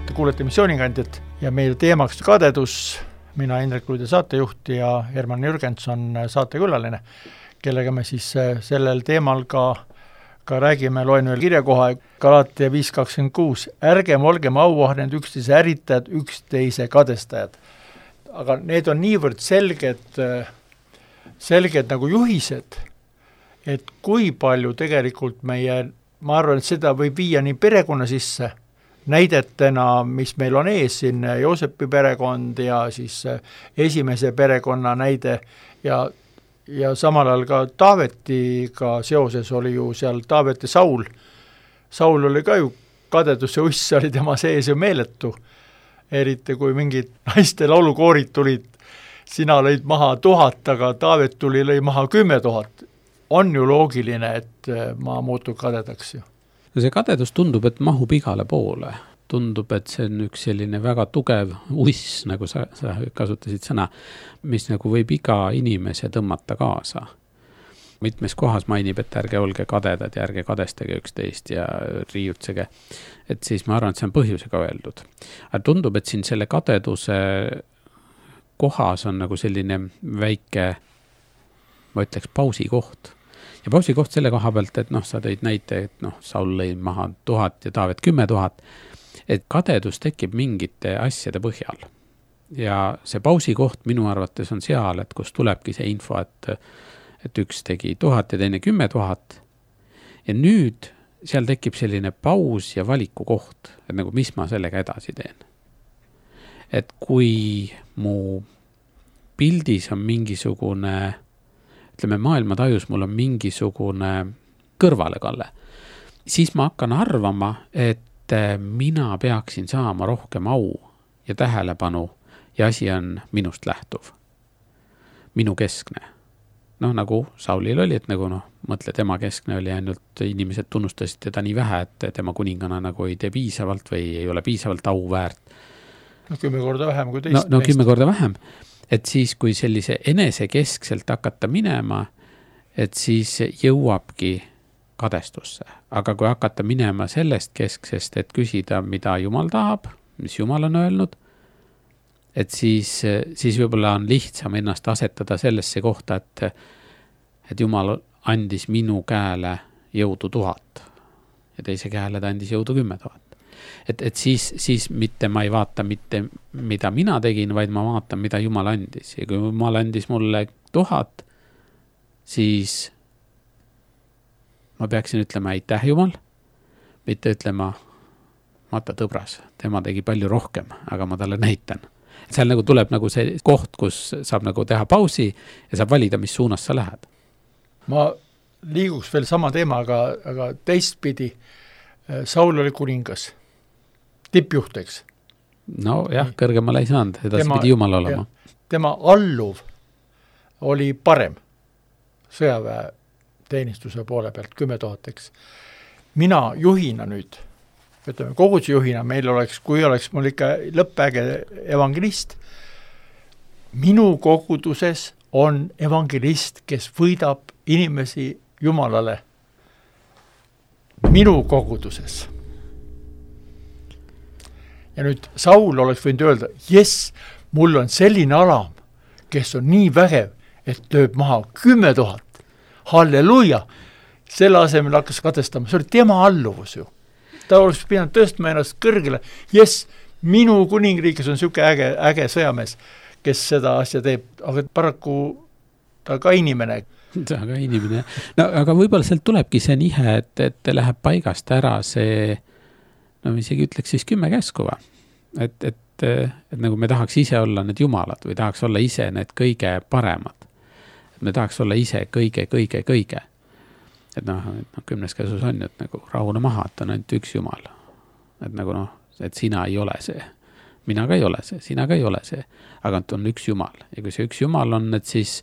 Te kuulete missioonikandjat ja meil teemaks kadedus. Mina Indrek Luide saatejuht ja Herman Jürgens on saatekülaline, kellega me siis sellel teemal ka räägime, loen veel kirjakoha Galatia 5.26. Ärgem olgem auahned, üksteise äritajad, üksteise kadestajad. Aga need on niivõrd selged nagu juhised, et kui palju tegelikult meie, ma arvan, et seda võib viia nii perekonna sisse, näidetena, mis meil on ees siin, Joosepi perekond ja siis esimese perekonna näide ja samal ajal ka Taavetiga seoses oli ju seal Taavet ja Saul. Saul oli ka ju kadeduse uss, oli tema sees ju meeletu. Eriti kui mingid naiste laulukoorid tulid, sina lõid maha 1000, aga Taavet lõi maha 10 000. On ju loogiline, et ma muutun kadedaks ju. No see kadedus tundub, et mahub igale poole. Tundub, et see on üks selline väga tugev uss, nagu sa kasutasid sõna, mis nagu võib iga inimese tõmmata kaasa. Mitmes kohas mainib, et ärge olge kadedad ja ärge kadestage üksteist ja riiutsege. Et siis ma arvan, et see on põhjusega öeldud. Aga tundub, et siin selle kadeduse kohas on nagu selline väike, ma ütleks, pausikoht. Ja pausikoht selle koha pealt, et sa tõid näite, et Saul lõi maha 1000 ja Taavet 10 000, et kadedus tekib mingite asjade põhjal. Ja see pausikoht minu arvates on seal, et kus tulebki see info, et üks tegi 1000 ja teine 10 000. Ja nüüd seal tekib selline paus ja valiku koht, et nagu mis ma sellega edasi teen. Et kui mu pildis on mingisugune, ütleme maailma tajus, mul on mingisugune kõrvalekalle, siis ma hakkan arvama, et mina peaksin saama rohkem au ja tähelepanu ja asi on minust lähtuv. Minu keskne. Nagu Saulil oli, et nagu mõtle, tema keskne oli ainult inimesed tunnustasid teda nii vähe, et tema kuningana nagu ei tee piisavalt või ei ole piisavalt au väärt. 10 korda vähem kui teist. 10 korda vähem. Et siis, kui sellise enesekeskselt hakata minema, et siis jõuabki kadestusse. Aga kui hakata minema sellest kesksest, et küsida, mida Jumal tahab, mis Jumal on öelnud, et siis võib-olla on lihtsam ennast asetada sellesse kohta, et Jumal andis minu käele jõudu 1000 ja teise käele ta andis jõudu 10 000. Et siis mitte ma ei vaata mitte, mida mina tegin, vaid ma vaatan, mida Jumal andis. Ja kui Jumal andis mulle 1000, siis ma peaksin ütlema aitäh Jumal, mitte ütlema vaata tõbras, tema tegi palju rohkem, aga ma talle näitan. Seal nagu tuleb nagu see koht, kus saab nagu teha pausi ja saab valida, mis suunas sa lähed. Ma liiguks veel sama teema, aga teistpidi Saul oli kuningas. Tippjuhteks. No jah, kõrgemale ei saanud, edasi pidi Jumal olema. Tema alluv oli parem sõjaväe teenistuse poole pealt 10 000. Mina juhina nüüd, ütleme koguduse juhina, meil oleks, kui oleks mul ikka lõppäge evangelist, minu koguduses on evangelist, kes võidab inimesi Jumalale. Minu koguduses. Ja nüüd Saul oleks võinud öelda, mul on selline alam, kes on nii vägev, et lööb maha 10 000. Halleluja! Selle asemel hakkas kadestama. See oli tema alluvus ju. Ta oleks pidanud tõstma ennast kõrgele. Minu kuningriigis on siuke äge sõjamees, kes seda asja teeb, aga paraku ta ka inimene. Ta ka inimene. No, aga võib-olla sealt tulebki see nihe, et läheb paigast ära see, isegi ütleks siis 10 käskuva. Et nagu me tahaks ise olla need jumalad või tahaks olla ise need kõige paremad. Me tahaks olla ise kõige. Et 10 käsus on, et nagu rahune maha, et on ainult üks jumal. Et nagu et sina ei ole see. Mina ka ei ole see, sina ka ei ole see. Aga on üks jumal. Ja kui see üks jumal on, et siis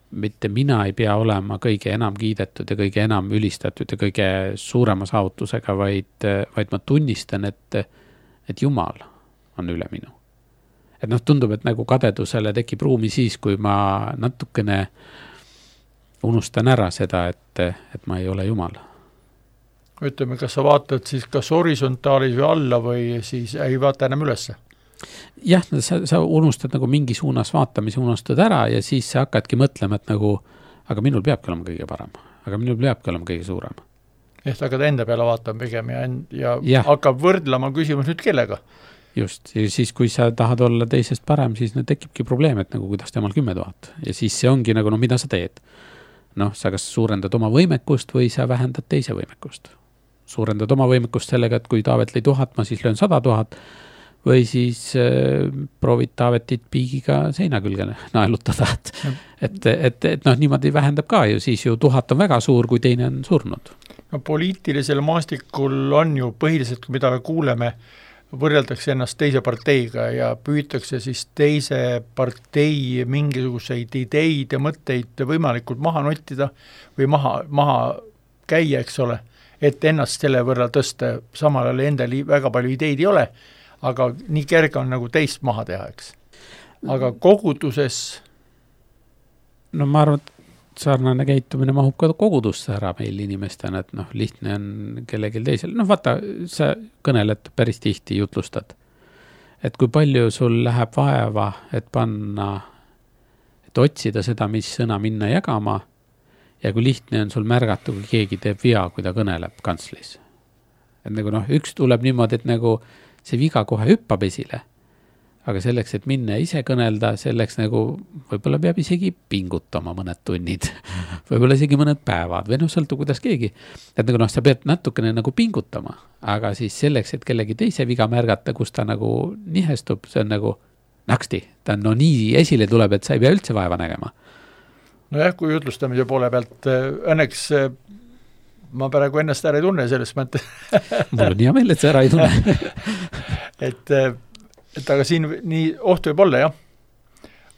mitte mina ei pea olema kõige enam kiidetud ja kõige enam ülistatud ja kõige suurema saavutusega, vaid ma tunnistan, et Jumal on üle minu. Et noh, tundub, et nagu kadedusele tekib ruumi siis, kui ma natukene unustan ära seda, et ma ei ole Jumal. Ütleme, kas sa vaatad siis kas horisontaalis või alla või siis ei vaata enam ülesse? Jah, sa unustad nagu mingi suunas vaatamise, unustad ära ja siis sa hakkadki mõtlema, et nagu, aga minul peabki olema kõige parem, aga minul peabki olema kõige suurem. Ehk hakkad enda peale vaatama pigem ja hakkab võrdlema küsimus nüüd kellega? Just, ja siis kui sa tahad olla teisest parem, siis tekibki probleem, et nagu kuidas temal 10 000 ja siis see ongi nagu, mida sa teed? Noh, sa kas suurendad oma võimekust või sa vähendad teise võimekust. Suurendad oma võimekust sellega, et kui Taavet lõi 1000, ma siis löön 100 000 või siis proovid Taavetit piigiga seina külge naelutada, et noh, niimoodi vähendab ka ju, siis ju 1000 on väga suur, kui teine on surnud. No poliitilisel maastikul on ju põhiliselt, mida me kuuleme, võrreldakse ennast teise parteiga ja püütakse siis teise partei mingisuguseid ideid ja mõtteid võimalikult maha nottida või maha käia, eks ole, et ennast selle võrra tõsta, samal ajal endal väga palju ideid ei ole, aga nii kerge on nagu teist maha teha, eks. Aga koguduses... No ma arvan, et sarnane käitumine mahub ka kogudusse ära meil inimestena, et noh, lihtne on kellelgi teisel. Noh, vaata, sa kõneled päris tihti, jutlustad. Et kui palju sul läheb vaeva, et panna, et otsida seda, mis sõna minna jagama ja kui lihtne on sul märgata, kui keegi teeb vea, kui ta kõneleb kantslis. Et nagu noh, üks tuleb niimoodi, et nagu see viga kohe hüppab esile, aga selleks, et minna ise kõnelda, selleks nagu võib-olla peab isegi pingutama mõned tunnid, võib-olla isegi mõned päevad või noh, sõltu kuidas keegi. Et nagu noh, sa pead natukene nagu pingutama, aga siis selleks, et kellegi teise viga märgata, kus ta nagu nihestub, see on nagu naksti, ta no nii esile tuleb, et sa ei pea üldse vaeva nägema. Nojah, kui jutlustamise poole pealt, õnneks ma praegu ennast ära ei tunne selles mõttes. Mul on hea meel, et sa ära ei tunne. et aga siin nii oht võib olla, jah.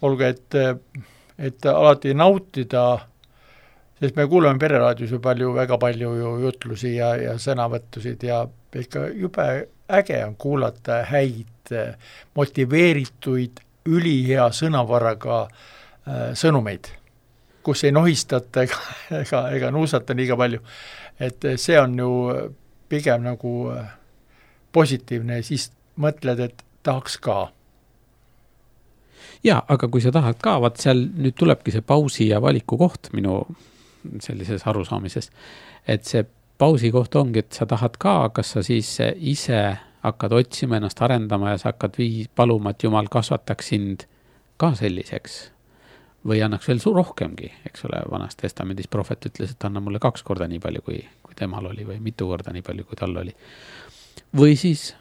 Olgu, et alati nautida, sest me kuuleme pereraadios ju väga palju ju jutlusi ja sõnavõttusid ja ikka jube äge on kuulata häid, motiveerituid, ülihea sõnavaraga sõnumeid, kus ei nohistata ega nuusata liiga palju. Et see on ju pigem nagu positiivne ja siis mõtled, et tahaks ka. Ja, aga kui sa tahad ka, vaat seal nüüd tulebki see pausi ja valiku koht minu sellises arusaamises, et see pausi koht ongi, et sa tahad ka, kas sa siis ise hakkad otsima ennast arendama ja sa hakkad paluma, et Jumal kasvataks sind ka selliseks või annaks veel rohkemgi, eks ole, Vanas Testamendis prohvet ütles, et anna mulle 2 korda nii palju, kui temal oli või mitu korda nii palju, kui tal oli. Või siis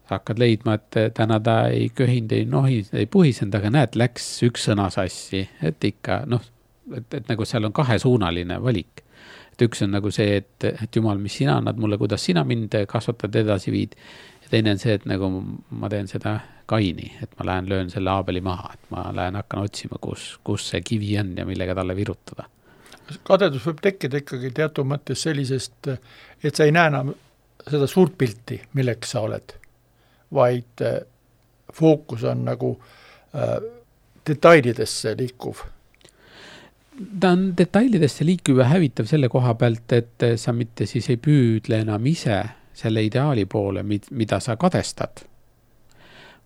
hakkad leidma, et täna ta ei köhind, ei puhisend, aga näed, läks üks sõna sassi, et ikka, noh, et nagu seal on 2-suunaline valik. Et üks on nagu see, et Jumal, mis sina annad mulle, kuidas sina mind kasvatad edasi viid. Ja teine on see, et nagu ma teen seda Kaini, et ma lähen löön selle Aabeli maha, et ma lähen hakkan otsima, kus see kivi on ja millega talle virutada. Kadedus võib tekkida ikkagi teatud mõttes sellisest, et sa ei näe enam seda suurt pilti, milleks sa oled, vaid fookus on nagu detailidesse liikuv. Ta on detailidesse liikuv ja hävitav selle koha pealt, et sa mitte siis ei püüdle enam ise selle ideaali poole, mida sa kadestad,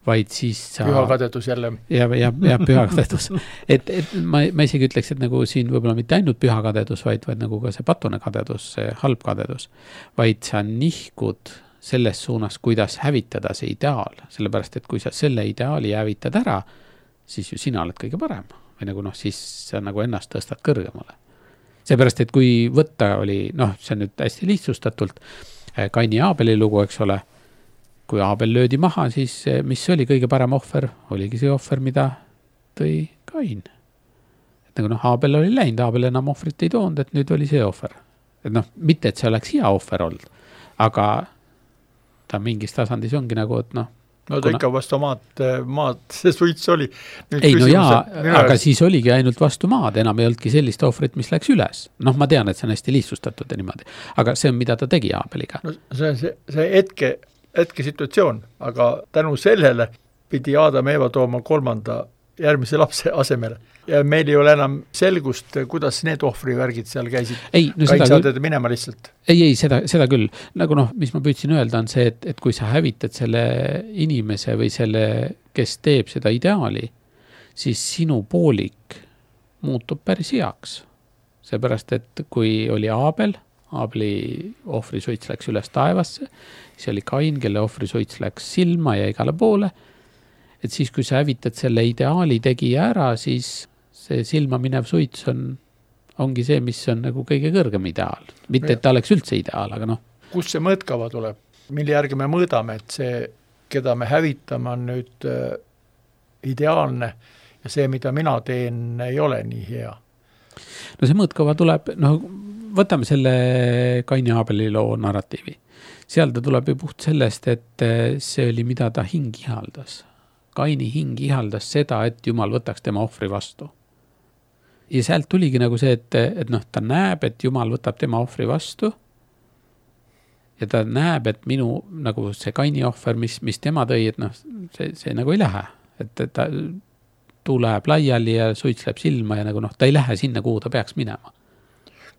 vaid siis sa... Pühakadedus jälle. Ja pühakadedus. et ma isegi ütleks, et nagu siin võib-olla mitte ainult pühakadedus, vaid nagu ka see patune kadedus, see halb kadedus, vaid sa nihkud selles suunas, kuidas hävitada see ideaal, sellepärast, et kui sa selle ideaali hävitad ära, siis ju sina oled kõige parem või nagu noh, siis sa nagu ennast tõstad kõrgemale. Seepärast, et kui võtta oli, noh, see on nüüd hästi lihtsustatult, Kaini ja Aabeli lugu, eks ole, kui Aabel löödi maha, siis mis oli kõige parem ohver, oligi see ohver, mida tõi Kain. Et nagu noh, Aabel oli läinud, Aabel enam ohvrit ei toonud, et nüüd oli see ohver. Et noh, mitte, et see oleks hea ohver olnud, aga ta mingis tasandis ongi nagu, et noh. No ta ikka vastu maad see suits oli. Ei, no jaa, aga siis oligi ainult vastu maad, enam ei olnudki sellist ohvrit, mis läks üles. Noh, ma tean, et see on hästi lihtsustatud ja niimoodi, aga see on, mida ta tegi Aabeliga. No see hetkesituatsioon, aga tänu sellele pidi Adam ja Eva tooma 3. järgmise lapse asemele. Ja meil ei ole enam selgust, kuidas need ohvrivärgid seal käisid. Kain saaded minema lihtsalt. Ei, seda küll. Nagu mis ma püüdsin öelda on see, et kui sa hävitad selle inimese või selle, kes teeb seda ideaali, siis sinu poolik muutub päris heaks. Seepärast, et kui oli Aabeli ohvrisuits läks üles taevasse, siis oli Kain, kelle ohvrisuits läks silma ja igale poole, et siis kui sa hävitad selle ideaali tegija ära, siis see silma minev suits ongi see, mis on nagu kõige kõrgem ideaal. Mitte, et ta oleks üldse ideaal, aga Kus see mõõtkava tuleb? Mille järgi me mõõdame, et see, keda me hävitame, on nüüd ideaalne ja see, mida mina teen, ei ole nii hea? No see mõõtkava tuleb, võtame selle Kain ja Aabeli loo narratiivi. Seal ta tuleb ju puht sellest, et see oli, mida ta hing ihaldas. Kaini hing ihaldas seda, et Jumal võtaks tema ohvri vastu. Ja sealt tuligi nagu see, et ta näeb, et Jumal võtab tema ohvri vastu ja ta näeb, et minu nagu see Kaini ohver, mis tema tõi, et see nagu ei lähe. Et ta tuu läheb laiali ja suits läheb silma ja nagu ta ei lähe sinna, kuhu ta peaks minema.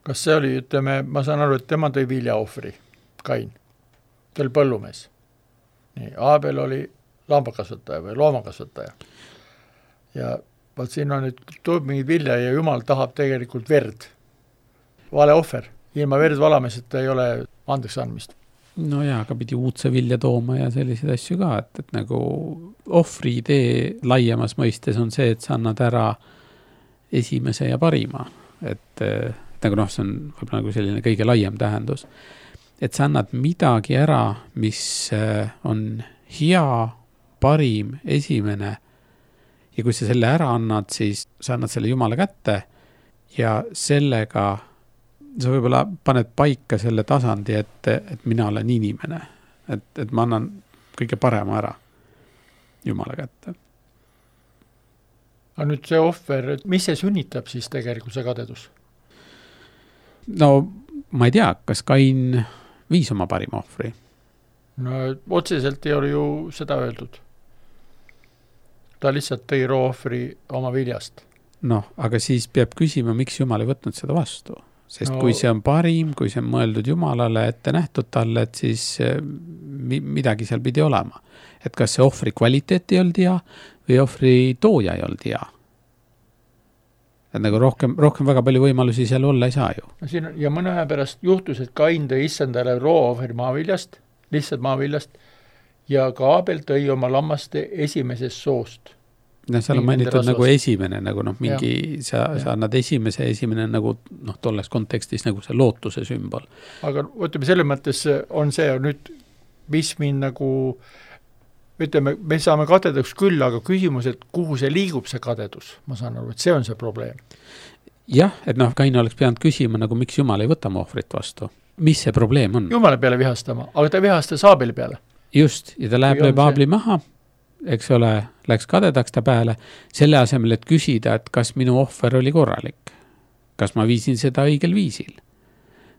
Kas see oli, ütleme, ma saan aru, et tema tõi viljaohvri, Kain. Ta oli põllumees. Nii, Aabel oli lambakasvataja või loomakasvataja. Ja vaat siin on nüüd tuleb mingid vilja ja Jumal tahab tegelikult verd. Vale ohver. Ilma verd valameseta ei ole andeks andmist. No jaa, aga pidi uudse vilja tooma ja selliseid asju ka, et nagu ohvri idee laiemas mõistes on see, et sa annad ära esimese ja parima. Et nagu see on võib-olla nagu selline kõige laiem tähendus. Et sa annad midagi ära, mis on hea, parim, esimene. Ja kui sa selle ära annad, siis sa annad selle Jumala kätte ja sellega sa võib-olla paned paika selle tasandi, et mina olen inimene. Et ma annan kõige parema ära Jumala kätte. Aga nüüd see ohver, mis see sünnitab siis tegelikult see kadedus? No ma ei tea, kas Kain viis oma parima ohvri? No otseselt ei ole ju seda öeldud. Ta lihtsalt tõi roohvri oma viljast. Aga siis peab küsima, miks Jumal ei võtnud seda vastu. Sest kui see on parim, kui see on mõeldud Jumalale ette nähtud talle, et siis midagi seal pidi olema. Et kas see ohvri kvaliteet ei olnud hea või ohvri tooja ei olnud hea. Et nagu rohkem väga palju võimalusi seal olla ei saa ju. Ja mõne aja pärast juhtus, et Kain tõi issandale roohvri maaviljast, lihtsalt maaviljast, ja ka Aabel tõi oma lammaste esimesest soost. Seal on mainitud nagu esimene, nagu mingi, sa annad esimene nagu tolles kontekstis nagu see lootuse sümbol. Aga võtame selle mõttes on see nüüd, mis mind nagu, ütleme, me saame kadedaks küll, aga küsimus, et kuhu see liigub see kadedus, ma saan aru, et see on see probleem. Jah, et Kain oleks pidanud küsima, nagu miks Jumal ei võta ohvrit vastu. Mis see probleem on? Jumala peale vihastama, aga ta vihastas Aabeli peale. Just, ja ta läheb Aabeli maha, eks ole, läks kadedaks ta peale, selle asemel, et küsida, et kas minu ohver oli korralik. Kas ma viisin seda õigel viisil?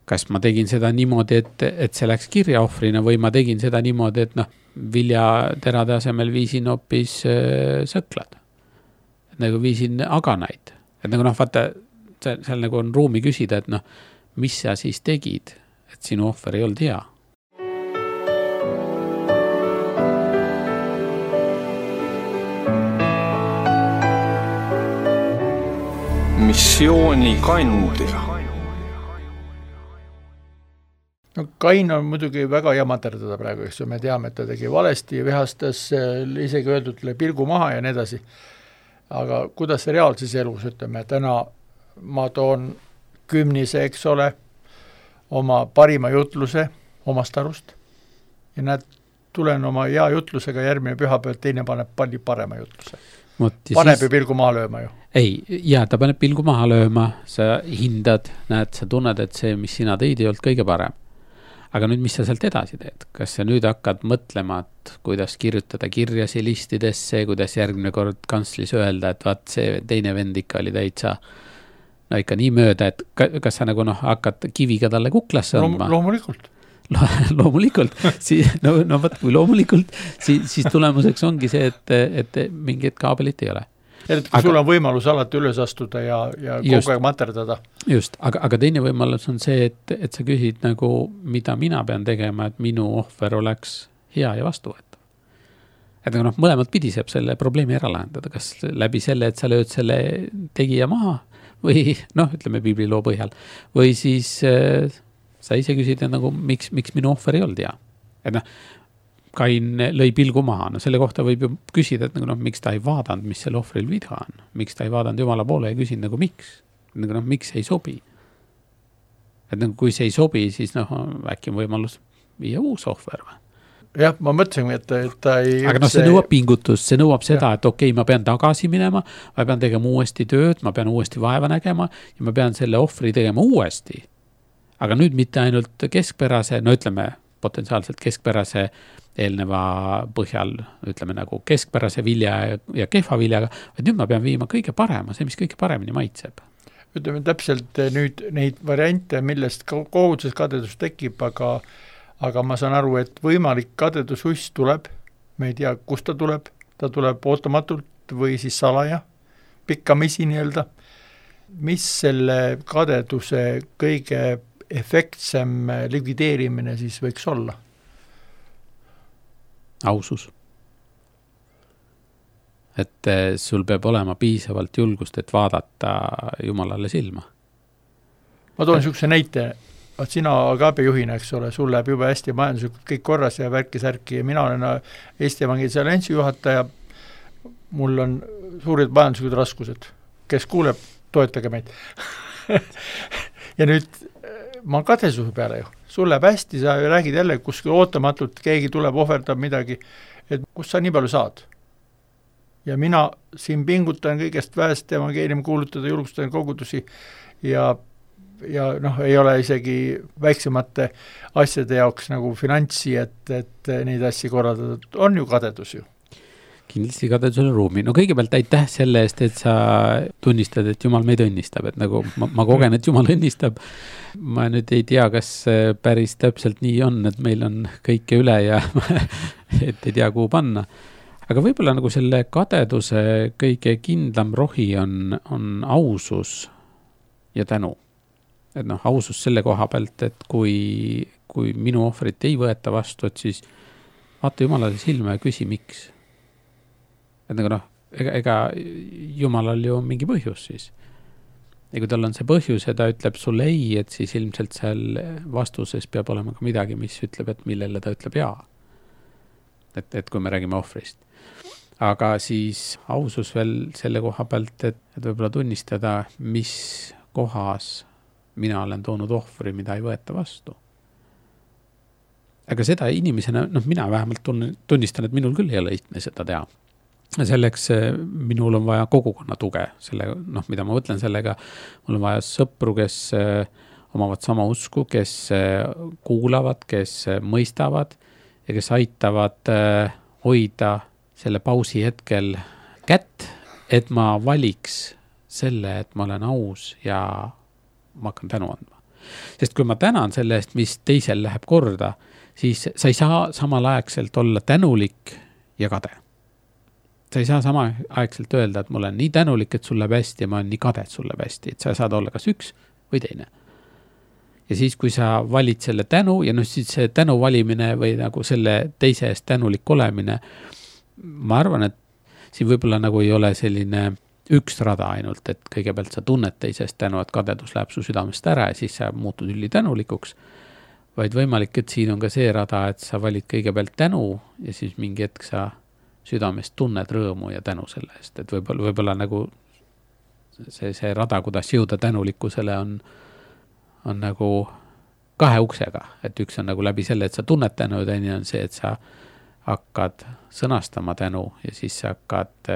Kas ma tegin seda niimoodi, et see läks kirja ohvrina või ma tegin seda niimoodi, et viljaterade asemel viisin hoopis sõklad. Et nagu viisin aganaid. Et nagu vaata, seal nagu on ruumi küsida, et mis sa siis tegid, et sinu ohver ei olnud hea. Missiooni kandja. Kain on muidugi väga jamaterdada praegu, eks me teame, et ta tegi valesti ja vihastas isegi öeldudele pilgu maha ja nii edasi. Aga kuidas see reaalses elus, ütleme, täna ma toon kümnise, eks ole, oma parima jutluse omast arust ja näed, tulen oma hea jutlusega järgmine pühapäev, teine paneb palju parema jutluse. Paneb ju pilgu maha lööma ju. Ei, ta paneb pilgu maha lööma, sa hindad, näed, sa tunned, et see, mis sina tõid, ei olnud kõige parem. Aga nüüd, mis sa sealt edasi teed? Kas sa nüüd hakkad mõtlema, et kuidas kirjutada kirjasi listidesse, kuidas järgmine kord kanslis öelda, et vaat see teine vend ikka oli täitsa ikka nii mööda, et kas sa nagu hakkad kiviga talle kuklasse andma? Loomulikult. loomulikult, no võt, kui loomulikult, siis tulemuseks ongi see, et mingit kaabelit ei ole. Kui sul on võimalus alati üles astuda ja kogu aeg materdada. Just, aga teine võimalus on see, et sa küsid nagu, mida mina pean tegema, et minu ohver oleks hea ja vastuvõetav. Et nagu mõlemad pidi saab selle probleemi ära lahendada, kas läbi selle, et sa lööd selle tegija maha või ütleme piibliloo põhjal, või siis sa ise küsid, nagu, miks minu ohver ei olnud hea. Et Kain lõi pilgu maha, selle kohta võib ju küsida, et miks ta ei vaadanud, mis selle ohvril viga on, miks ta ei vaadanud Jumala poole ja küsinud miks, miks ei sobi. Et kui see ei sobi, siis äkki on võimalus viia uus ohver või? Jah, ma mõtlesin, et ta ei... Aga see nõuab pingutust, see nõuab seda, et okei, ma pean tagasi minema, ma pean tegema uuesti tööd, ma pean uuesti vaeva nägema ja ma pean selle ohvri tegema uuesti. Aga nüüd mitte ainult keskpärase, ütleme potentsiaalselt keskpärase eelneva põhjal, ütleme nagu keskpärase vilja ja kehva viljaga, et nüüd ma pean viima kõige parema, see, mis kõige paremini maitseb. Ütleme täpselt nüüd neid variante, millest koguduses kadedus tekib, aga ma saan aru, et võimalik kadedususs tuleb, me ei tea, kust ta tuleb ootamatult või siis salaja, pikkamisi nii-öelda. Mis selle kadeduse kõige efektsem likvideerimine siis võiks olla? Ausus. Et sul peab olema piisavalt julgust, et vaadata Jumalale silma. Ma toon niisuguse näite, et sina agaabijuhina, eks ole, sul läheb juba hästi majanduslikult kõik korras ja värki-särki ja mina olen Eesti Evangeelse Alliansi juhataja, mul on suured majanduslikud raskused. Kes kuuleb, toetage meid. Ja nüüd ma kadesuse peale ju. Sul läheb hästi, sa räägid jälle, kus ootamatult keegi tuleb, ohverdab midagi, et kus sa nii palju saad. Ja mina siin pingutan kõigest väest evangeeliumi kuulutada, julgustan kogudusi ja ei ole isegi väiksemate asjade jaoks nagu finantsi, et neid asju korraldada. On ju kadedus ju. Kindlasti kadedusele ruumi. No kõigepealt aitäh selle eest, et sa tunnistad, et Jumal meid õnnistab. Et nagu ma kogen, et Jumal õnnistab. Ma nüüd ei tea, kas päris täpselt nii on, et meil on kõike üle ja et ei tea, kuhu panna. Aga võib-olla nagu selle kadeduse kõige kindlam rohi on ausus ja tänu. Et ausus selle koha pealt, et kui minu ohvrit ei võeta vastu, et siis vaata Jumalale silma ja küsi, miks. Et nagu ega Jumalal ju mingi põhjus siis. Ja kui tal on see põhjus ja ta ütleb sulle ei, et siis ilmselt seal vastuses peab olema ka midagi, mis ütleb, et millele ta ütleb jaa. Et kui me räägime ohvrist. Aga siis ausus veel selle koha pealt, et võib-olla tunnistada, mis kohas mina olen toonud ohvri, mida ei võeta vastu. Aga seda inimesena, mina vähemalt tunnistan, et minul küll ei ole lihtne seda teha. Selleks minul on vaja kogukonna tuge, mida ma mõtlen sellega, mul on vaja sõpru, kes omavad sama usku, kes kuulavad, kes mõistavad ja kes aitavad hoida selle pausi hetkel kätt, et ma valiks selle, et ma olen aus ja ma hakkan tänu andma. Sest kui ma tänan selle eest, mis teisel läheb korda, siis sa ei saa samal aegselt olla tänulik ja kade. Sa ei saa sama aegselt öelda, et ma olen nii tänulik, et sul läheb hästi ja ma olen nii kade, et sul läheb hästi, et sa saad olla kas üks või teine. Ja siis, kui sa valid selle tänu ja siis see tänu valimine või nagu selle teise eest tänulik olemine, ma arvan, et siin võib-olla nagu ei ole selline üks rada ainult, et kõigepealt sa tunned teisest tänu, et kadedus läheb su südamest ära ja siis sa muutud ülitänulikuks, vaid võimalik, et siin on ka see rada, et sa valid kõigepealt tänu ja siis mingi hetk sa südamest tunned rõõmu ja tänu selle eest, et võib-olla nagu see rada, kuidas jõuda tänulikkusele on nagu kahe uksega, et üks on nagu läbi selle, et sa tunned tänu ja teine on see, et sa hakkad sõnastama tänu ja siis sa hakkad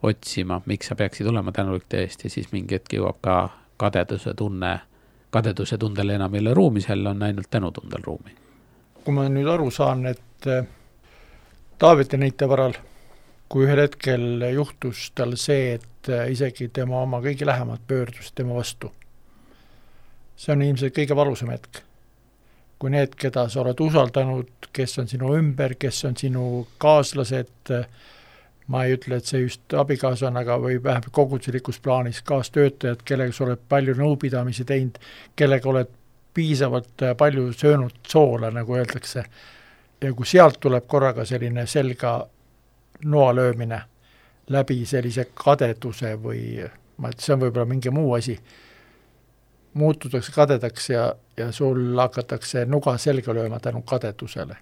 otsima, miks sa peaksid olema tänulik teest ja siis mingi hetk jõuab ka kadeduse tundele enam ei ole ruumi, seal on ainult tänutundel ruumi. Kui ma nüüd aru saan, et Taaveti näite varal, kui ühel hetkel juhtus tal see, et isegi tema oma kõige lähemad pöördus tema vastu. See on ilmselt kõige valusam hetk. kui need, keda sa oled usaldanud, kes on sinu ümber, kes on sinu kaaslased, ma ei ütle, et see just abikaasa on, aga või vähemalt koguduslikus plaanis kaastöötajad, kellega sa oled palju nõupidamisi teinud, kellega oled piisavalt palju söönud soola, nagu öeldakse. Ja kui sealt tuleb korraga selline selga noa löömine läbi sellise kadeduse või see on võib-olla mingi muu asi, muututakse kadedaks ja sul hakatakse nuga selga lööma tänu kadedusele.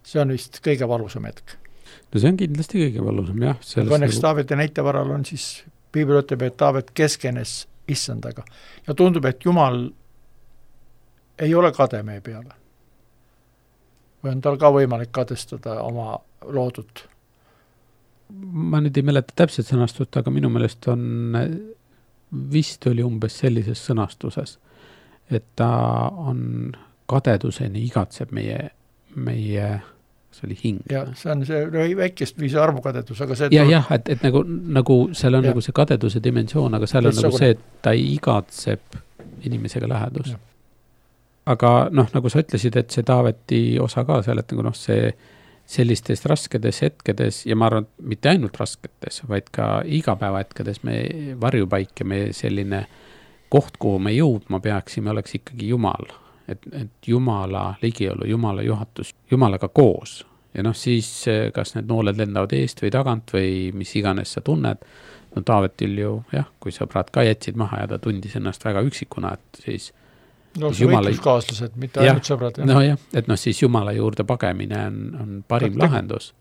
See on vist kõige valusam hetk. No see on kindlasti kõige valusam, jah. Õnneks Taaveti näite varal on siis, Piibel ütleb, et Taavet keskenes issandaga. Ja tundub, et Jumal ei ole kade meie peale. Või on tal ka võimalik kadestada oma loodut? Ma nüüd ei mäleta täpselt sõnastust, aga minu meelest on vist oli umbes sellises sõnastuses, et ta on kadeduseni igatseb meie see oli hing. Ja see on see väikest viisi arvukadedus, aga see... Jah, et nagu seal on nagu see kadeduse dimensioon, aga seal on nagu see, et ta igatseb inimesega lähedust. Ja. Aga nagu sa ütlesid, et see Taaveti osa ka seal, et nagu see sellistes raskedes hetkedes, ja ma arvan, mitte ainult rasketes, vaid ka igapäeva hetkedes me varjupaik ja me selline koht, kuhu me jõudma peaksime, oleks ikkagi Jumal. Et Jumala ligiolu, Jumala juhatus, Jumalaga koos. Ja siis kas need nooled lendavad eest või tagant või mis iganes sa tunned. No Taavetil ju, jah, kui sõbrad ka jätsid maha ja ta tundis ennast väga üksikuna, et siis see võitluskaaslased, mitte ainult sõbrad. Et siis Jumala juurde pagemine on parim lahendus.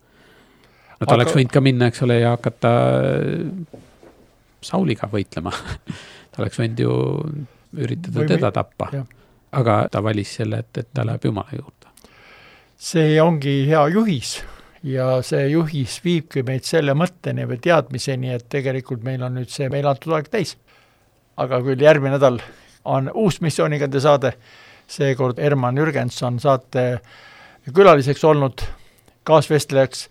Ta oleks võinud ka minna, eks ole, ja hakata Sauliga võitlema. Ta oleks võinud ju üritada teda tappa. Aga ta valis selle, et ta läheb Jumala juurde. See ongi hea juhis ja see juhis viibki meid selle mõtteni või teadmiseni, et tegelikult meil on nüüd see meil antud aeg täis. Aga küll järgmine nädal on uus missioonigande saade, seekord Herman Jürgens on saate külaliseks olnud, kaasvestlejaks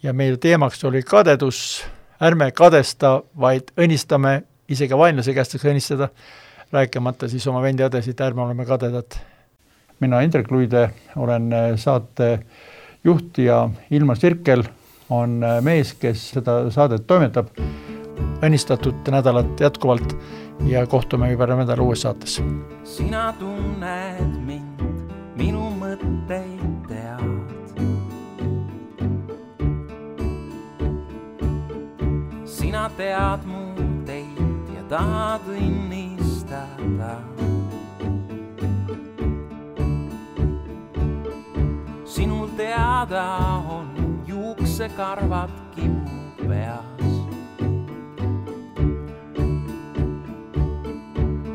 ja meil teemaks oli kadedus, ärme kadesta, vaid õnnistame, isegi vainlase käest õnnistada, rääkimata siis oma vendi õdesid, ärme oleme kadedad. Mina Indrek Luide olen saate juht ja Ilmar Sirkel on mees, kes seda saadet toimetab. Õnnistatud nädalat jätkuvalt ja kohtume juba nädala uues saates. Sina tunned mind, minu mõtteid tead. Sina tead mu teid ja tahad õnnistada. Sinul teada on juuksekarvad kipu peas.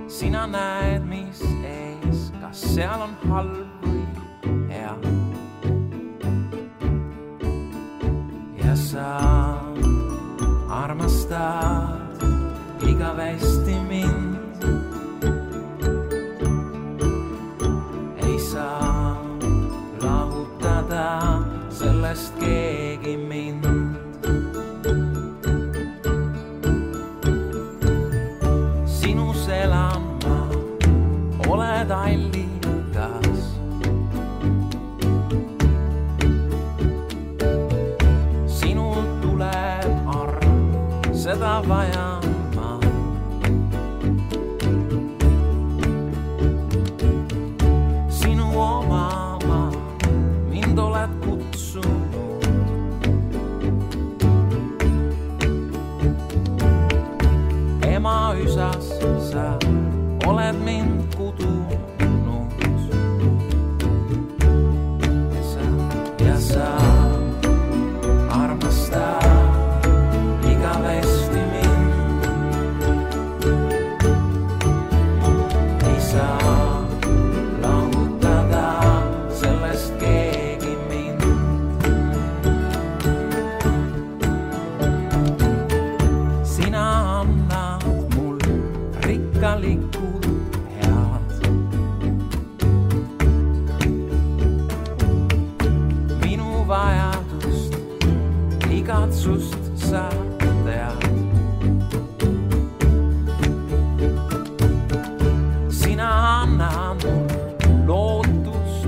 Sina näed, mis ees, kas seal on halb või hea. Ja sa armastad igavesti mind. Ei saa lahutada sellest keegi mind. Sinus elan ma, oled allikas. Sinul tuleb arm, seda vajan ma. Sinu oma ma, mind oled kutsunud. Ema üsas sa oled mind kudunud. Ja sa armastad igavesti mind. Ei saa lahutada sellest keegi mind. Sina annad mul rikkalikult head. Minu vajadust, igatsust sa tead. Sina annad mul lootust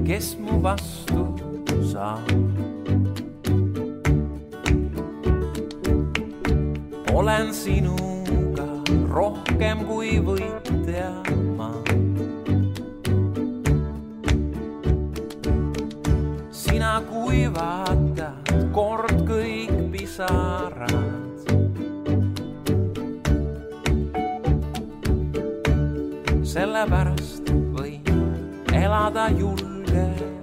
kes mu vastu saab. Olen sinuga rohkem kui võitja ma. Sina kuivatad kord kõik pisarad. Sellepärast võin elada julgelt.